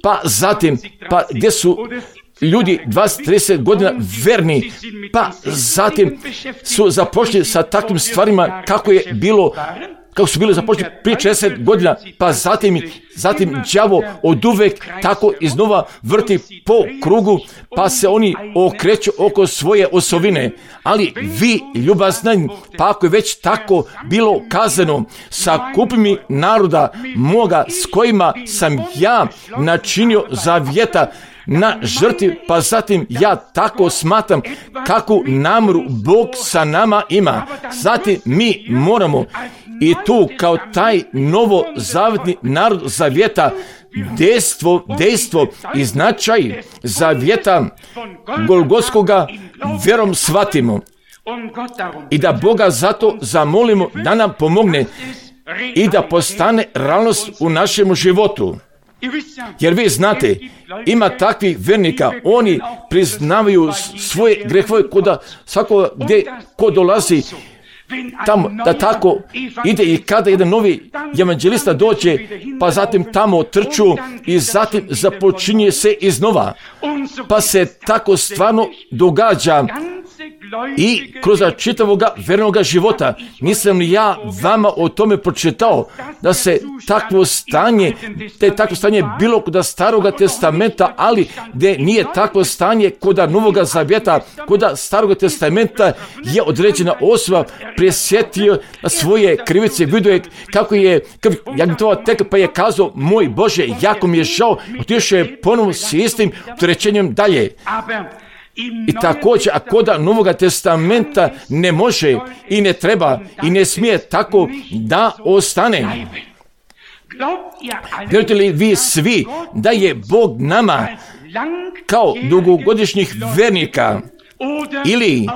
pa zatim, pa gdje su ljudi 20-30 godina verni, pa zatim su započeli sa takvim stvarima kako su bili započeli prije 40 godina, pa zatim đavo oduvek tako iznova vrti po krugu, pa se oni okreću oko svoje osovine. Ali vi, ljubazni, pa ako je već tako bilo kazano, sakupi mi naroda moga s kojima sam ja načinio zavjeta na žrtvi, pa zatim ja tako smatram kakvu namjeru Bog sa nama ima. Zatim mi moramo i tu kao taj novozavetni narod zavjeta dejstvo i značaj zavjeta Golgotskoga vjerom shvatimo i da Boga zato zamolimo da nam pomogne i da postane realnost u našem životu. Jer vi znate, ima takvih vernika, oni priznavaju svoje grehove kuda svako gdje ko dolazi tamo, da tako ide i kada jedan novi evanđelista dođe, pa zatim tamo trču i zatim započinje se iznova. Pa se tako stvarno događa i kroz čitavoga vernoga života. Nisam li ja vama o tome pročitao da se takvo stanje bilo kod Staroga testamenta, ali gdje nije takvo stanje kod Novoga zavjeta. Kod Staroga testamenta je određena osoba presjetio svoje krivice, vidio je kako je jagnjetova teka, pa je kazao: moj Bože, jako mi je žao, otišao je ponovno s istim opterećenjem dalje. I također, a kod Novoga testamenta ne može i ne treba i ne smije tako da ostane. Vjerujete li vi svi da je Bog nama kao dugogodišnjih vernika ili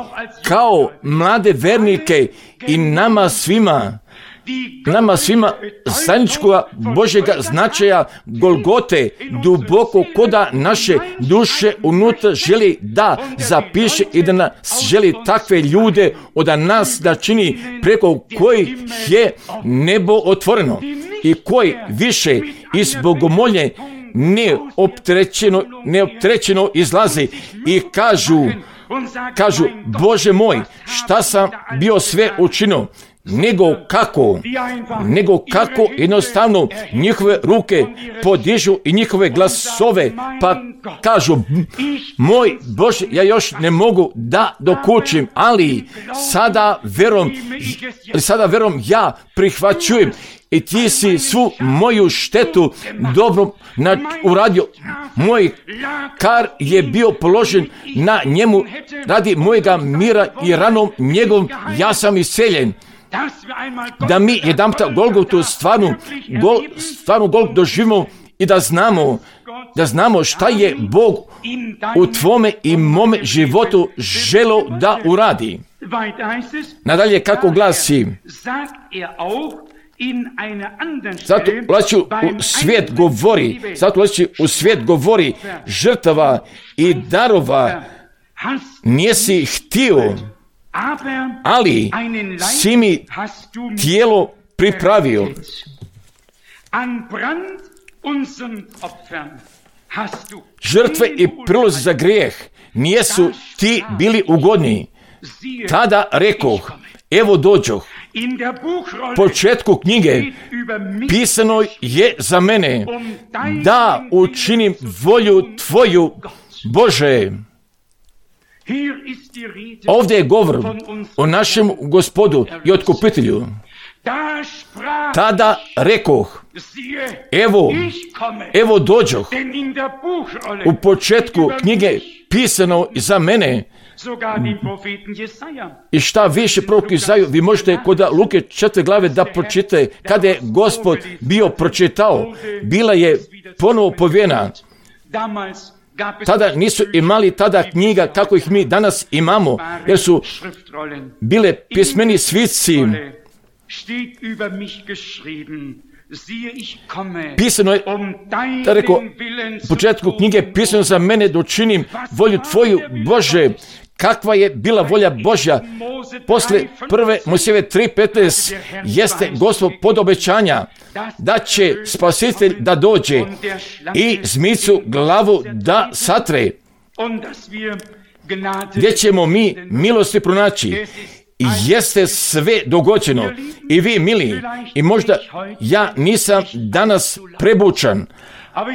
kao mlade vernike i nama svima zajedničkoga Božjega značaja Golgote duboko koda naše duše unutra želi da zapiše i da nas želi takve ljude od nas da čini, preko kojih je nebo otvoreno i koji više iz bogomolje neopterećeno izlazi i kažu: Bože moj, šta sam bio sve učinio? nego kako jednostavno njihove ruke podižu i njihove glasove, pa kažu, moj Bože, ja još ne mogu da dokučim, ali sada verom ja prihvaćujem i ti si svu moju štetu dobro uradio. Moj kar je bio položen na njemu radi mojega mira i ranom njegovom ja sam isceljen. Da mi jedanputa Golgotu stvarnu Golgotu doživimo i da znamo šta je Bog u tvome i mome životu želo da uradi. Nadalje kako glasi, zato ulazi u svijet govori žrtava i darova nisi htio, ali si mi tijelo pripravio. Žrtve i prilozi za grijeh nisu ti bili ugodni. Tada rekoh, evo dođoh. Početku knjige pisano je za mene da učinim volju tvoju, Bože. Ovdje je govor o našem Gospodu i Otkupitelju. Tada rekoh, evo dođoh. U početku knjige pisano za mene. I šta više prorok Izaju, vi možete kod Luke 4. glave da pročitate, kada je Gospod bio pročitao, bila je ponovo povijena. Tada nisu imali knjiga kako ih mi danas imamo, jer su bile pismeni svisci. Pisano je, da rekao, u početku knjige pisano za mene da učinim volju tvoju, Bože. Kakva je bila volja Božja? Posle 1. Mojsijeve 3.15 jeste Gospod pod obećanja da će Spasitelj da dođe i zmicu glavu da satre, gdje ćemo mi milosti pronaći. Jeste sve dogođeno. I vi, mili, i možda ja nisam danas prebučan,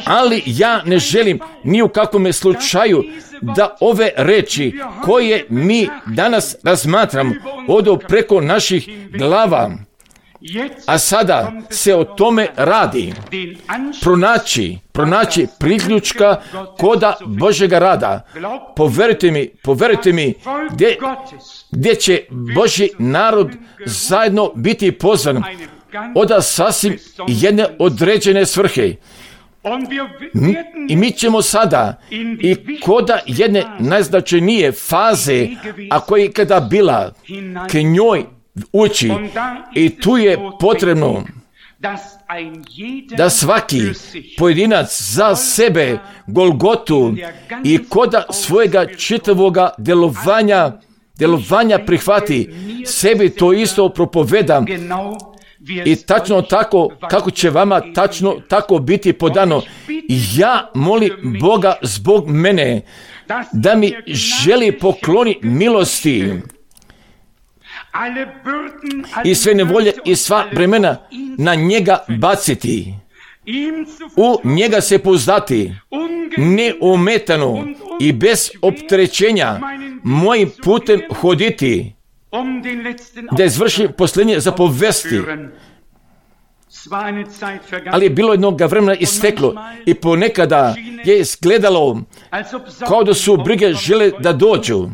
ali ja ne želim ni u kakvom slučaju da ove reči koje mi danas razmatramo odu preko naših glava. A sada se o tome radi. Pronaći priključka koda Božjega rada. Poverujte mi, gdje će Božji narod zajedno biti pozvan od sasvim jedne određene svrhe. I mi ćemo sada i koda jedne najznačajnije faze, a koja je kada bila, k njoj ući. I tu je potrebno da svaki pojedinac za sebe Golgotu i koda svojega čitavoga delovanja prihvati, sebi to isto propovedam. I tačno tako, kako će vama tačno tako biti podano. Ja molim Boga zbog mene da mi želi pokloni milosti i sve nevolje i sva bremena na njega baciti, u njega se pouzdati, neometano i bez opterećenja mojim putem hoditi, da izvrši posljednje zapovesti. Ali je bilo jednog vremena isteklo i ponekada je izgledalo kao da su brige žele da dođu.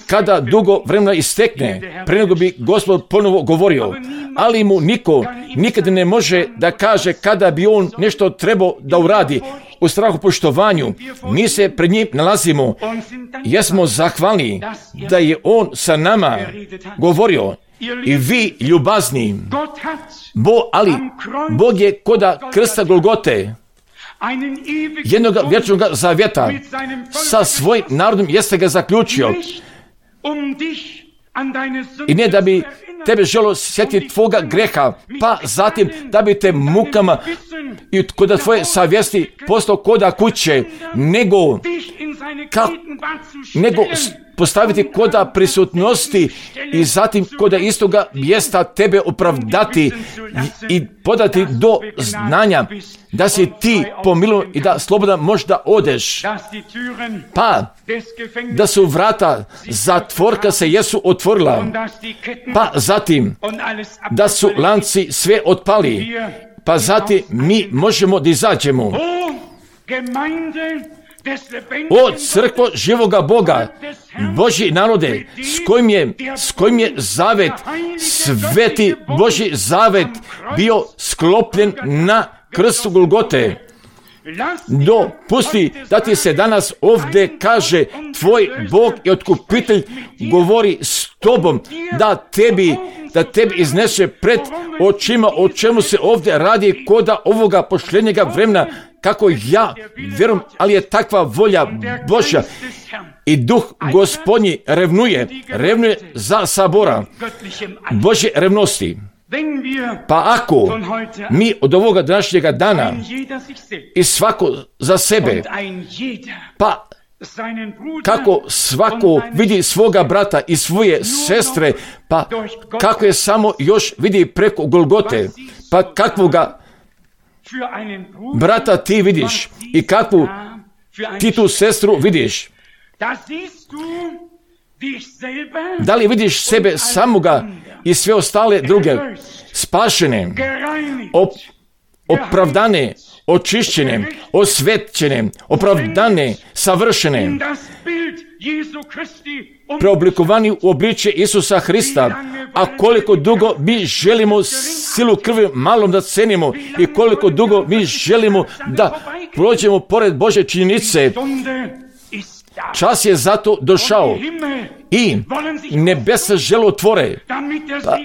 Kada dugo vremena istekne, pre nego bi Gospod ponovo govorio, ali mu niko nikada ne može da kaže kada bi on nešto trebao da uradi. U strahu poštovanju mi se pred njim nalazimo. Jesmo zahvalni da je on sa nama govorio. I vi ljubazni, ali Bog je koda krsta Golgote, jednog vječnog zavjeta sa svojim narodom jeste ga zaključio. I ne da bi tebe želo sjetiti tvoga greha, pa zatim da bi te mukama i koda tvoje savjesti postao koda kuće, nego postaviti koda prisutnosti i zatim koda istoga mjesta tebe opravdati i podati do znanja da si ti pomilovan i da slobodan možda odeš. Pa da su vrata zatvorka se jesu otvorila, pa zatim da su lanci sve otpali, pa zatim mi možemo da izađemo. O crkvo živoga Boga, Božji narode, s kojim je zavet, sveti Božji zavet bio sklopljen na krstu Golgote. Dopusti da ti se danas ovdje kaže tvoj Bog i otkupitelj govori s tobom, da tebi iznese pred očima o čemu se ovdje radi koda ovoga pošljenjega vremena, kako ja vjerujem, ali je takva volja Božja i duh Gospodnji revnuje za sabora Božje revnosti. Pa ako mi od ovoga današnjega dana i svako za sebe, pa kako svako vidi svoga brata i svoje sestre, pa kako je samo još vidi preko Golgote, pa kakvoga brata ti vidiš i kakvu ti tu sestru vidiš. Da li vidiš sebe samoga i sve ostale druge spašene, opravdane, očišćene, osvećene, opravdane, savršene, preoblikovani u obličje Isusa Hrista, a koliko dugo mi želimo silu krvi malom da cenimo i koliko dugo mi želimo da prođemo pored Božje činjenice, čas je zato došao i nebesa žele otvore, pa,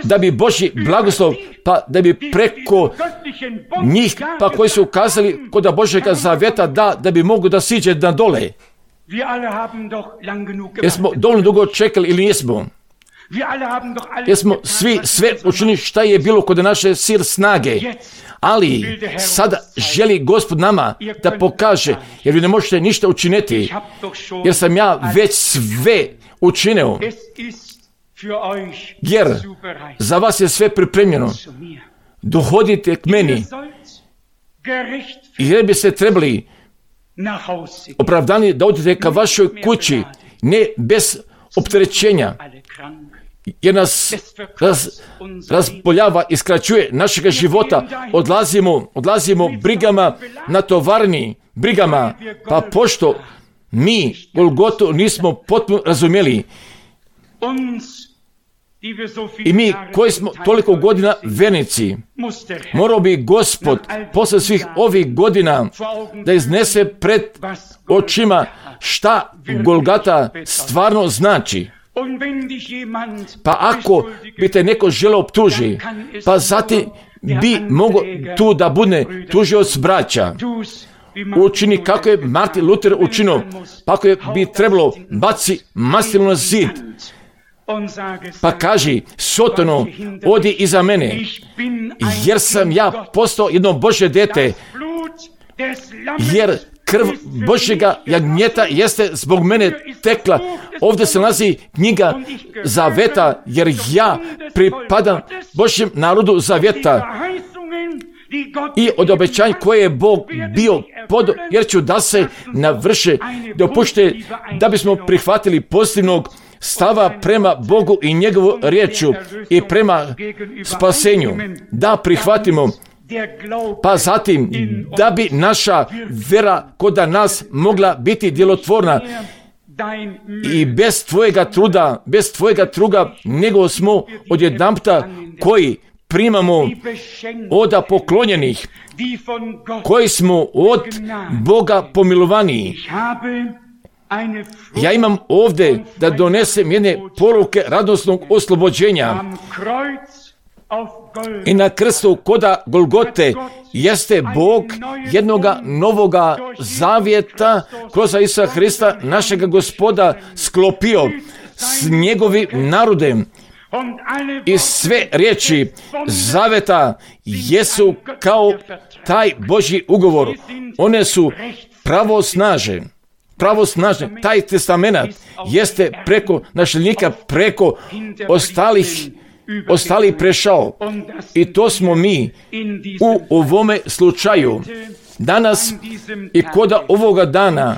da bi Božji blagoslov, pa da bi preko njih, pa koji su ukazali koda Božjega zaveta, da bi mogu da siđe na dole. Jesmo dovoljno dugo čekali ili nismo? Jesmo svi sve učinili šta je bilo kod naše sil snage, ali sada želi Gospod nama da pokaže, jer vi ne možete ništa učiniti, jer sam ja već sve učinio, jer za vas je sve pripremljeno. Dohodite k meni, jer bi se trebali opravdani da odete ka vašoj kući, ne bez opterećenja, jer nas razboljava i skraćuje našega života. Odlazimo brigama na tovarni, brigama, pa pošto mi Golgotu nismo potpuno razumjeli i mi koji smo toliko godina vernici, morao bi Gospod posle svih ovih godina da iznese pred očima šta Golgata stvarno znači. Pa ako bi te neko želeo optuži, pa zatim bi mogo tu da bude tužioc braća. Učini kako je Martin Luther učinio, pa ako bi trebalo baci maslicu na zid, pa kaži Sotonu, odi iza mene, jer sam ja postao jedno Božje dete, jer krv Božjega jagnjeta jeste zbog mene tekla. Ovdje se nalazi knjiga zaveta, jer ja pripadam Božjem narodu zaveta i od obećanja koje je Bog bio podao, jer ću da se navrše, dopušte da bismo prihvatili pozitivnog stava prema Bogu i njegovu riječu i prema spasenju, da prihvatimo, pa zatim da bi naša vera koda nas mogla biti djelotvorna i bez tvojega truda, nego smo odjedanputa koji primamo oda poklonjenih, koji smo od Boga pomilovaniji. Ja imam ovdje da donesem jedne poruke radosnog oslobođenja. I na krstu koda Golgote jeste Bog jednoga novoga zavjeta kroz Isusa Hrista, našega Gospoda, sklopio s njegovim narodem. I sve riječi zaveta jesu kao taj Božji ugovor. One su pravosnažne. pravosnažne. Taj testament jeste preko nasljednika, preko ostalih prešao. I to smo mi u ovome slučaju danas i kod ovoga dana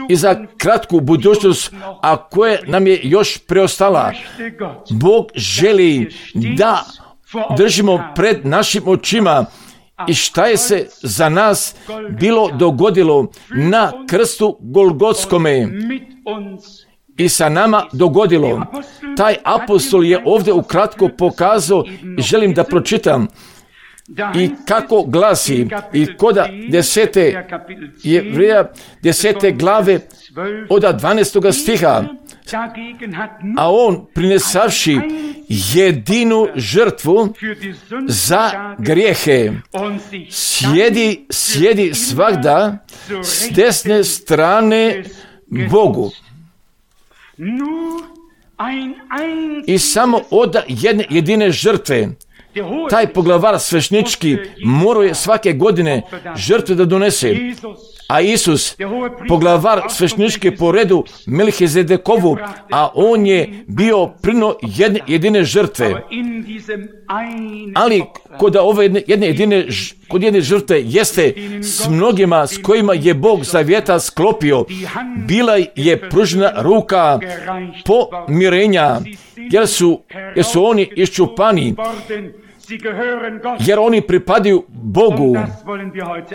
i za kratku budućnost, a koje nam je još preostala. Bog želi da držimo pred našim očima i šta je se za nas bilo dogodilo na krstu Golgotskome i sa nama dogodilo. Taj apostol je ovdje ukratko pokazao i želim da pročitam i kako glasi i kod 10. Jevreja 10. glave od 12. stiha. A on prinesavši jedinu žrtvu za grijehe sjedi svagda s desne strane Bogu. I samo od jedne jedine žrtve taj poglavar svešnički morao je svake godine žrtve da donese. A Isus, poglavar svešnički po redu Melhizedekovu, a on je bio prino jedine žrtve. Ali kod ove jedne žrtve jeste s mnogima s kojima je Bog zavjeta sklopio, bila je pružena ruka pomirenja, jer su oni iščupani, jer oni pripadaju Bogu.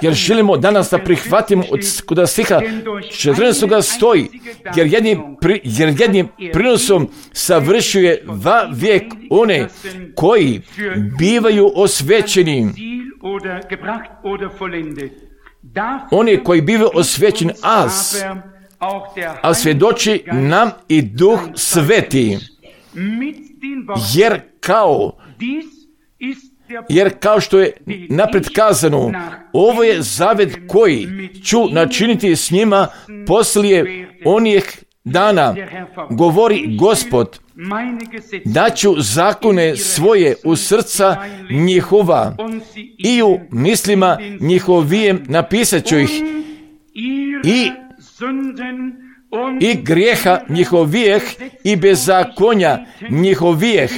Jer želimo danas da prihvatimo kod stiha 14. stoji, jer jednim prinosom savršuje vijek one koji bivaju osvećeni. Oni koji bivaju osvećeni, a svjedoči nam i Duh Sveti. Jer kao što je napred kazano, ovo je zavet koji ću načiniti s njima poslije onih dana, govori Gospod, da ću zakone svoje u srca njihova i u mislima njihovijem napisat ću ih i grijeha njihovijeh i bezakonja njihovijeh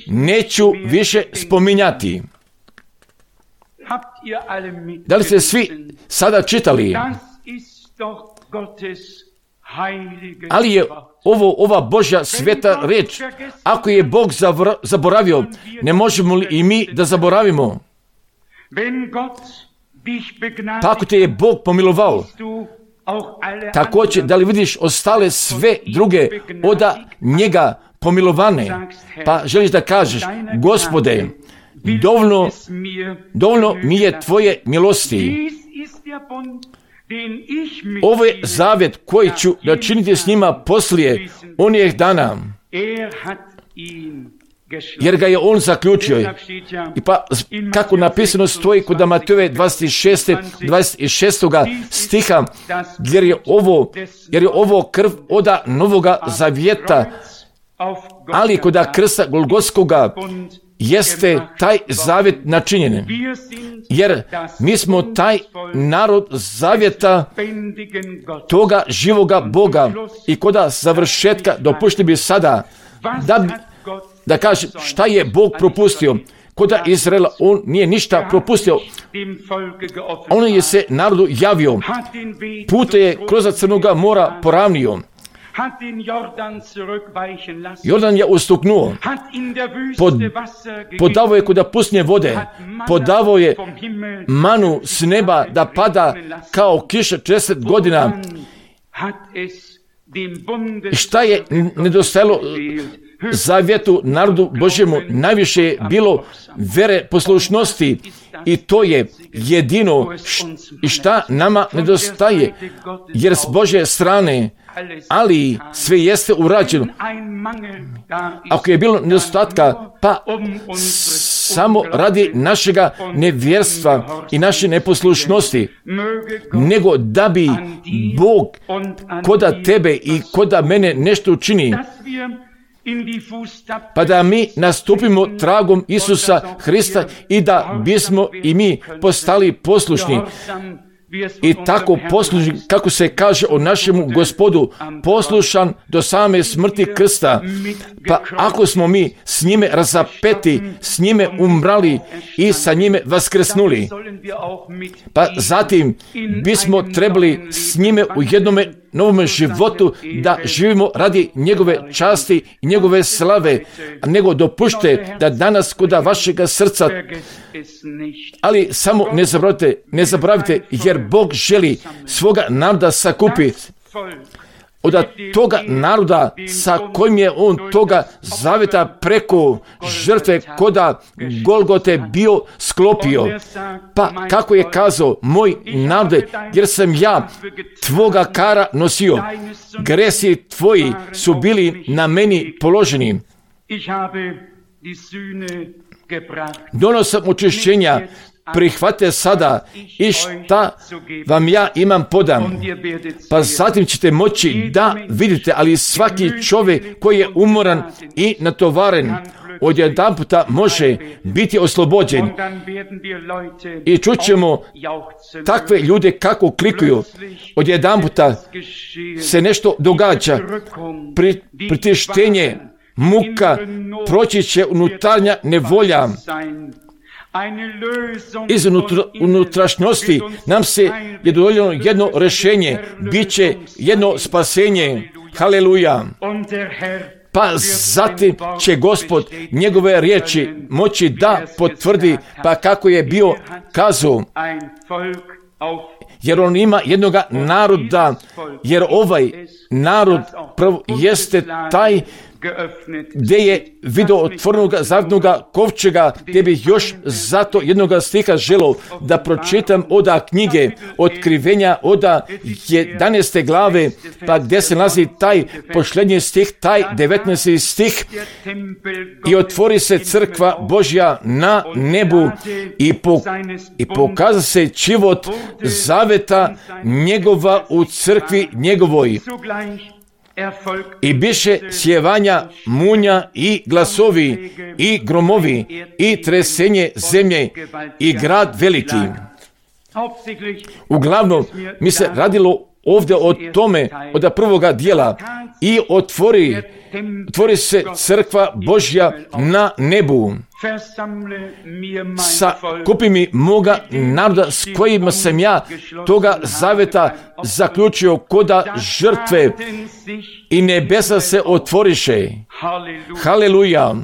neću više spominjati. Da li ste svi sada čitali? Ali je ova Božja sveta riječ. Ako je Bog zaboravio, ne možemo li i mi da zaboravimo? Pa ako te je Bog pomilovao, također, da li vidiš ostale sve druge od njega pomilovane? Pa želiš da kažeš, Gospode, dovoljno mi je tvoje milosti. Ovo je zavjet koji ću načiniti s njima poslije onih dana. Jer ga je on zaključio. I pa kako napisano stoji kod Matejove 26. stiha, jer je ovo krv od novoga zavjeta, ali kod krsta Golgotskoga jeste taj zavjet načinjen. Jer mi smo taj narod zavjeta toga živoga Boga i kod završetka dopušti bi sada da kaže šta je Bog propustio. Kod Izraela on nije ništa propustio. On je se narodu javio. Pute je kroz Crnoga mora poravnio. Jordan je ustuknuo. Podavao je kod pustinje vode. Podavao je manu s neba da pada kao kiša 40 godina. Šta je nedostajalo zavjetu narodu Božjemu? Najviše je bilo vere, poslušnosti, i to je jedino šta nama nedostaje, jer s Božje strane, ali sve jeste urađeno. Ako je bilo nedostatka, pa samo radi našega nevjerstva i naše neposlušnosti, nego da bi Bog koda tebe i koda mene nešto učini, pa da mi nastupimo tragom Isusa Hrista i da bismo i mi postali poslušni. i tako poslušan, kako se kaže o našemu Gospodu, poslušan do same smrti krsta. Pa ako smo mi s njime razapeti, s njime umrali i sa njime vaskrsnuli, pa zatim bismo trebali s njime u jednome novom životu da živimo radi njegove časti i njegove slave, nego dopušte da danas kod vašega srca, ali samo ne zaboravite, jer Bog želi svoga naroda sakupi od toga naroda sa kojim je on toga zaveta preko žrtve koda Golgote bio sklopio. Pa kako je kazao, moj narode, jer sam ja tvoga kara nosio, gresi tvoji su bili na meni položeni. Donosam očišćenja, prihvate sada i šta vam ja imam podam. Pa zatim ćete moći da vidite, ali svaki čovjek koji je umoran i natovaren odjedanputa može biti oslobođen. I čućemo takve ljude kako klikuju. Odjedanputa se nešto događa. Pritištenje, muka, proći će unutarnja nevolja. Iz unutrašnjosti nam se je dovoljeno jedno rješenje, bit će jedno spasenje. Haleluja! Pa zatim će Gospod njegove riječi moći da potvrdi, pa kako je bio kazao, jer on ima jednoga naroda, jer ovaj narod prvo jeste taj gdje je vidio otvorenoga zavnoga kovčega, gdje bih još zato jednoga stiha želio da pročitam oda knjige Otkrivenja oda 11. glave, pa gdje se nalazi taj posljednji stih, taj 19. stih, i otvori se crkva Božja na nebu i pokaza se život zaveta njegova u crkvi njegovoj. I biše sjevanja, munja i glasovi i gromovi i tresenje zemlje i grad veliki. Uglavnom mi se radilo ovdje o tome od prvoga dijela i otvori se crkva Božja na nebu. Sakupi mi moga naroda s kojima sam ja toga zaveta zaključio koda žrtve i nebesa se otvoriše. Haleluja!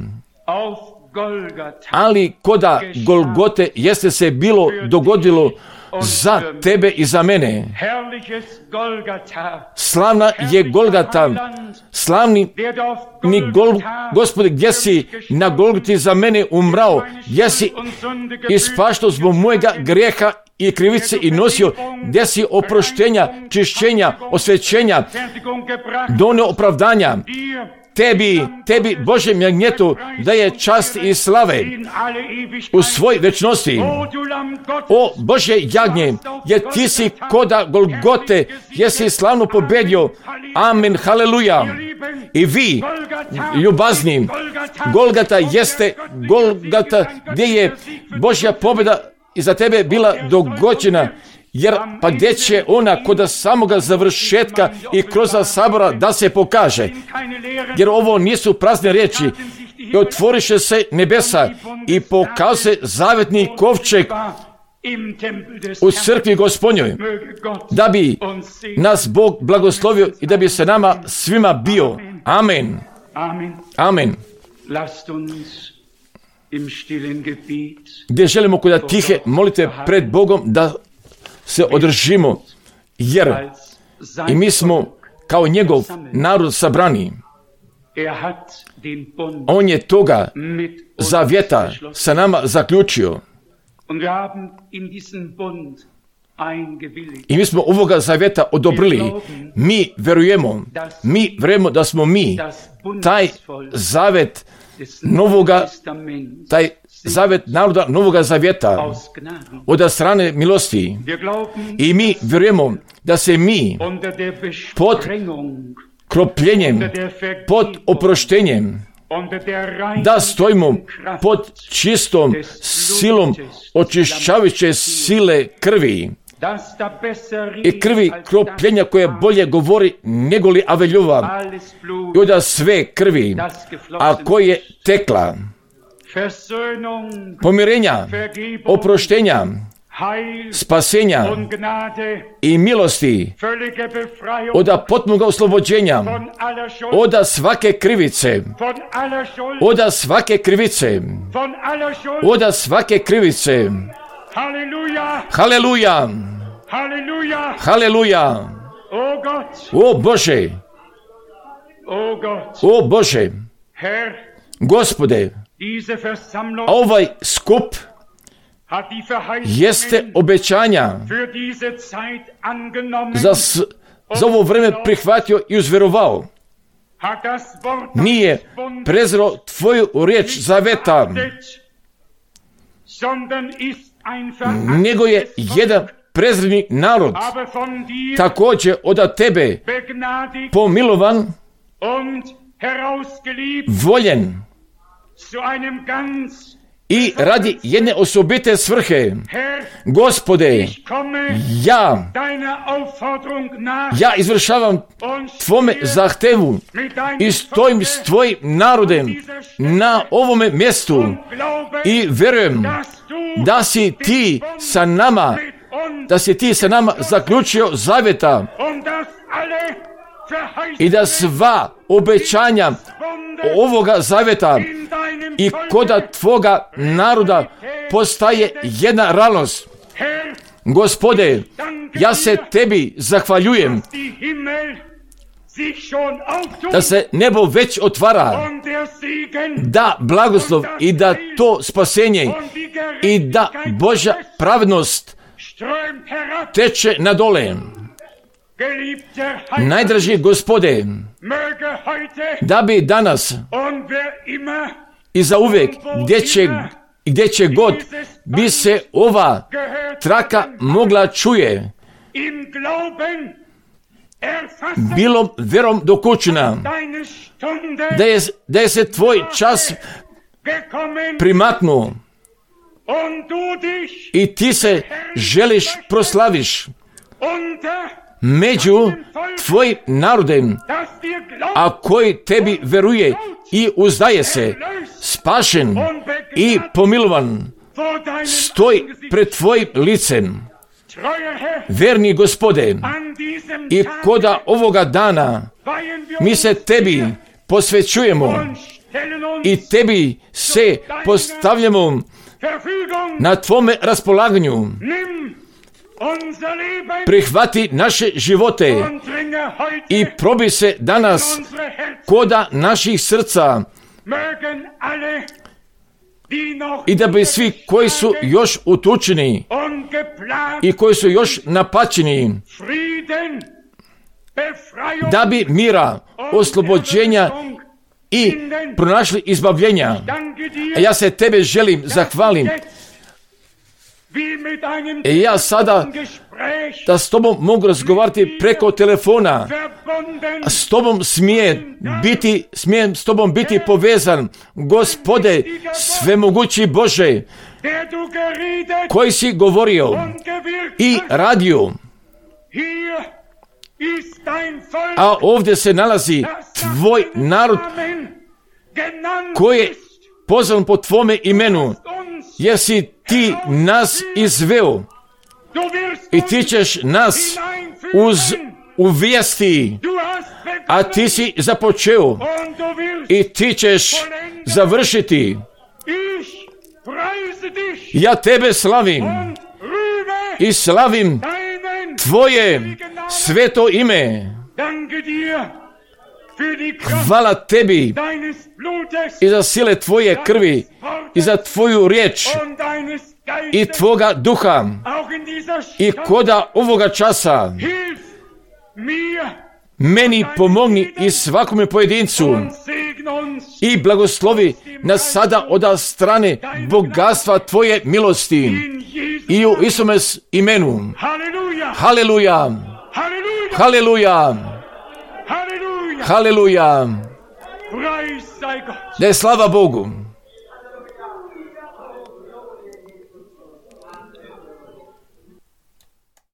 Ali koda Golgote jeste se bilo dogodilo za tebe i za mene. Slavna je Golgata, slavni Gospode, gdje si na Golgoti za mene umrao, gdje si ispaštao zbog mojega grijeha i krivice i nosio, gdje si oproštenja, čišćenja, osvećenja, donio opravdanja. Tebi, Božem jagnjetu, da je čast i slave u svoj večnosti. O Bože jagnje, jer ti si koda Golgote, jesi slavno pobedio. Amen, haleluja. I vi, ljubazni, Golgata jeste Golgata gdje je Božja pobjeda i za tebe bila dogođena. Jer pa gdje će ona kod samoga završetka i kroz sabora da se pokaže. Jer ovo nisu prazne riječi. I otvoriše se nebesa i pokaže se zavetni kovčeg u crkvi Gospodnjoj, da bi nas Bog blagoslovio i da bi se nama svima bio. Amen. Amen. Gdje želimo kod tihe molite pred Bogom da se održimo, jer i mi smo kao njegov narod sabrani. On je toga zavjeta sa nama zaključio. I mi smo ovoga zavjeta odobrili. Mi vjerujemo da smo mi taj zavet novoga, taj zavet naroda novoga zavjeta od strane milosti. I mi vjerujemo da se mi pod kropljenjem, pod oproštenjem, da stojimo pod čistom silom očišćavajuće sile krvi, i krvi kropljenja koja bolje govori nego li Aveljova i od sve krvi, a koje je tekla, pomirenja, oproštenja, spasenja i milosti, od potpunog oslobođenja, od svake krivice, od svake krivice, od svake krivice. Haleluja! Haleluja! O Bože! O Bože! Gospode, ovaj skup jeste obećanja za ovo vreme prihvatio i uzverovao. Nije prezreo tvoju riječ zaveta, nego je jedan prezreni narod, također od tebe pomilovan, voljen i radi jedne osobite svrhe. Gospode, ja izvršavam tvome zahtevu i stojim s tvojim narodem na ovome mjestu i vjerujem da si ti sa nama zaključio zaveta i da sva obećanja ovoga zaveta i koda tvoga naroda postaje jedna realnost. Gospode, ja se tebi zahvaljujem da se nebo već otvara, da blagoslov i da to spasenje i da Božja pravednost teče na dole. Najdraži Gospode, da bi danas i zauvijek, gdje će god bi se ova traka mogla čuje, bilo vjerom dokućena, da je se tvoj čas primaknuo i ti se želiš proslaviš među tvojim narodem, a koji tebi veruje i uzdaje se, spašen i pomilovan, stoj pred tvojim licem. Verni Gospode, i koda ovoga dana mi se tebi posvećujemo i tebi se postavljamo na tvome raspolaganju. Prihvati naše živote i probi se danas koda naših srca i da bi svi koji su još utučeni i koji su još napačeni, da bi mira, oslobođenja i pronašli izbavljenja. A ja se tebe želim zahvalim. I ja sada da s tobom mogu razgovarati preko telefona, a s tobom smijem s tobom biti povezan. Gospode, svemogući Bože, koji si govorio i radio, a ovdje se nalazi tvoj narod koji je pozvan po tvome imenu, jer si ti nas izveo i ti ćeš nas uvesti, a ti si započeo i ti ćeš završiti. Ja tebe slavim i slavim tvoje sveto ime. Hvala tebi i za sile tvoje krvi i za tvoju riječ i tvoga duha i koda ovoga časa meni pomogni i svakome pojedincu i blagoslovi nas sada od strane bogatstva tvoje milosti i u Isume imenu. Haleluja! Haleluja! Haleluja! Da je slava Bogu!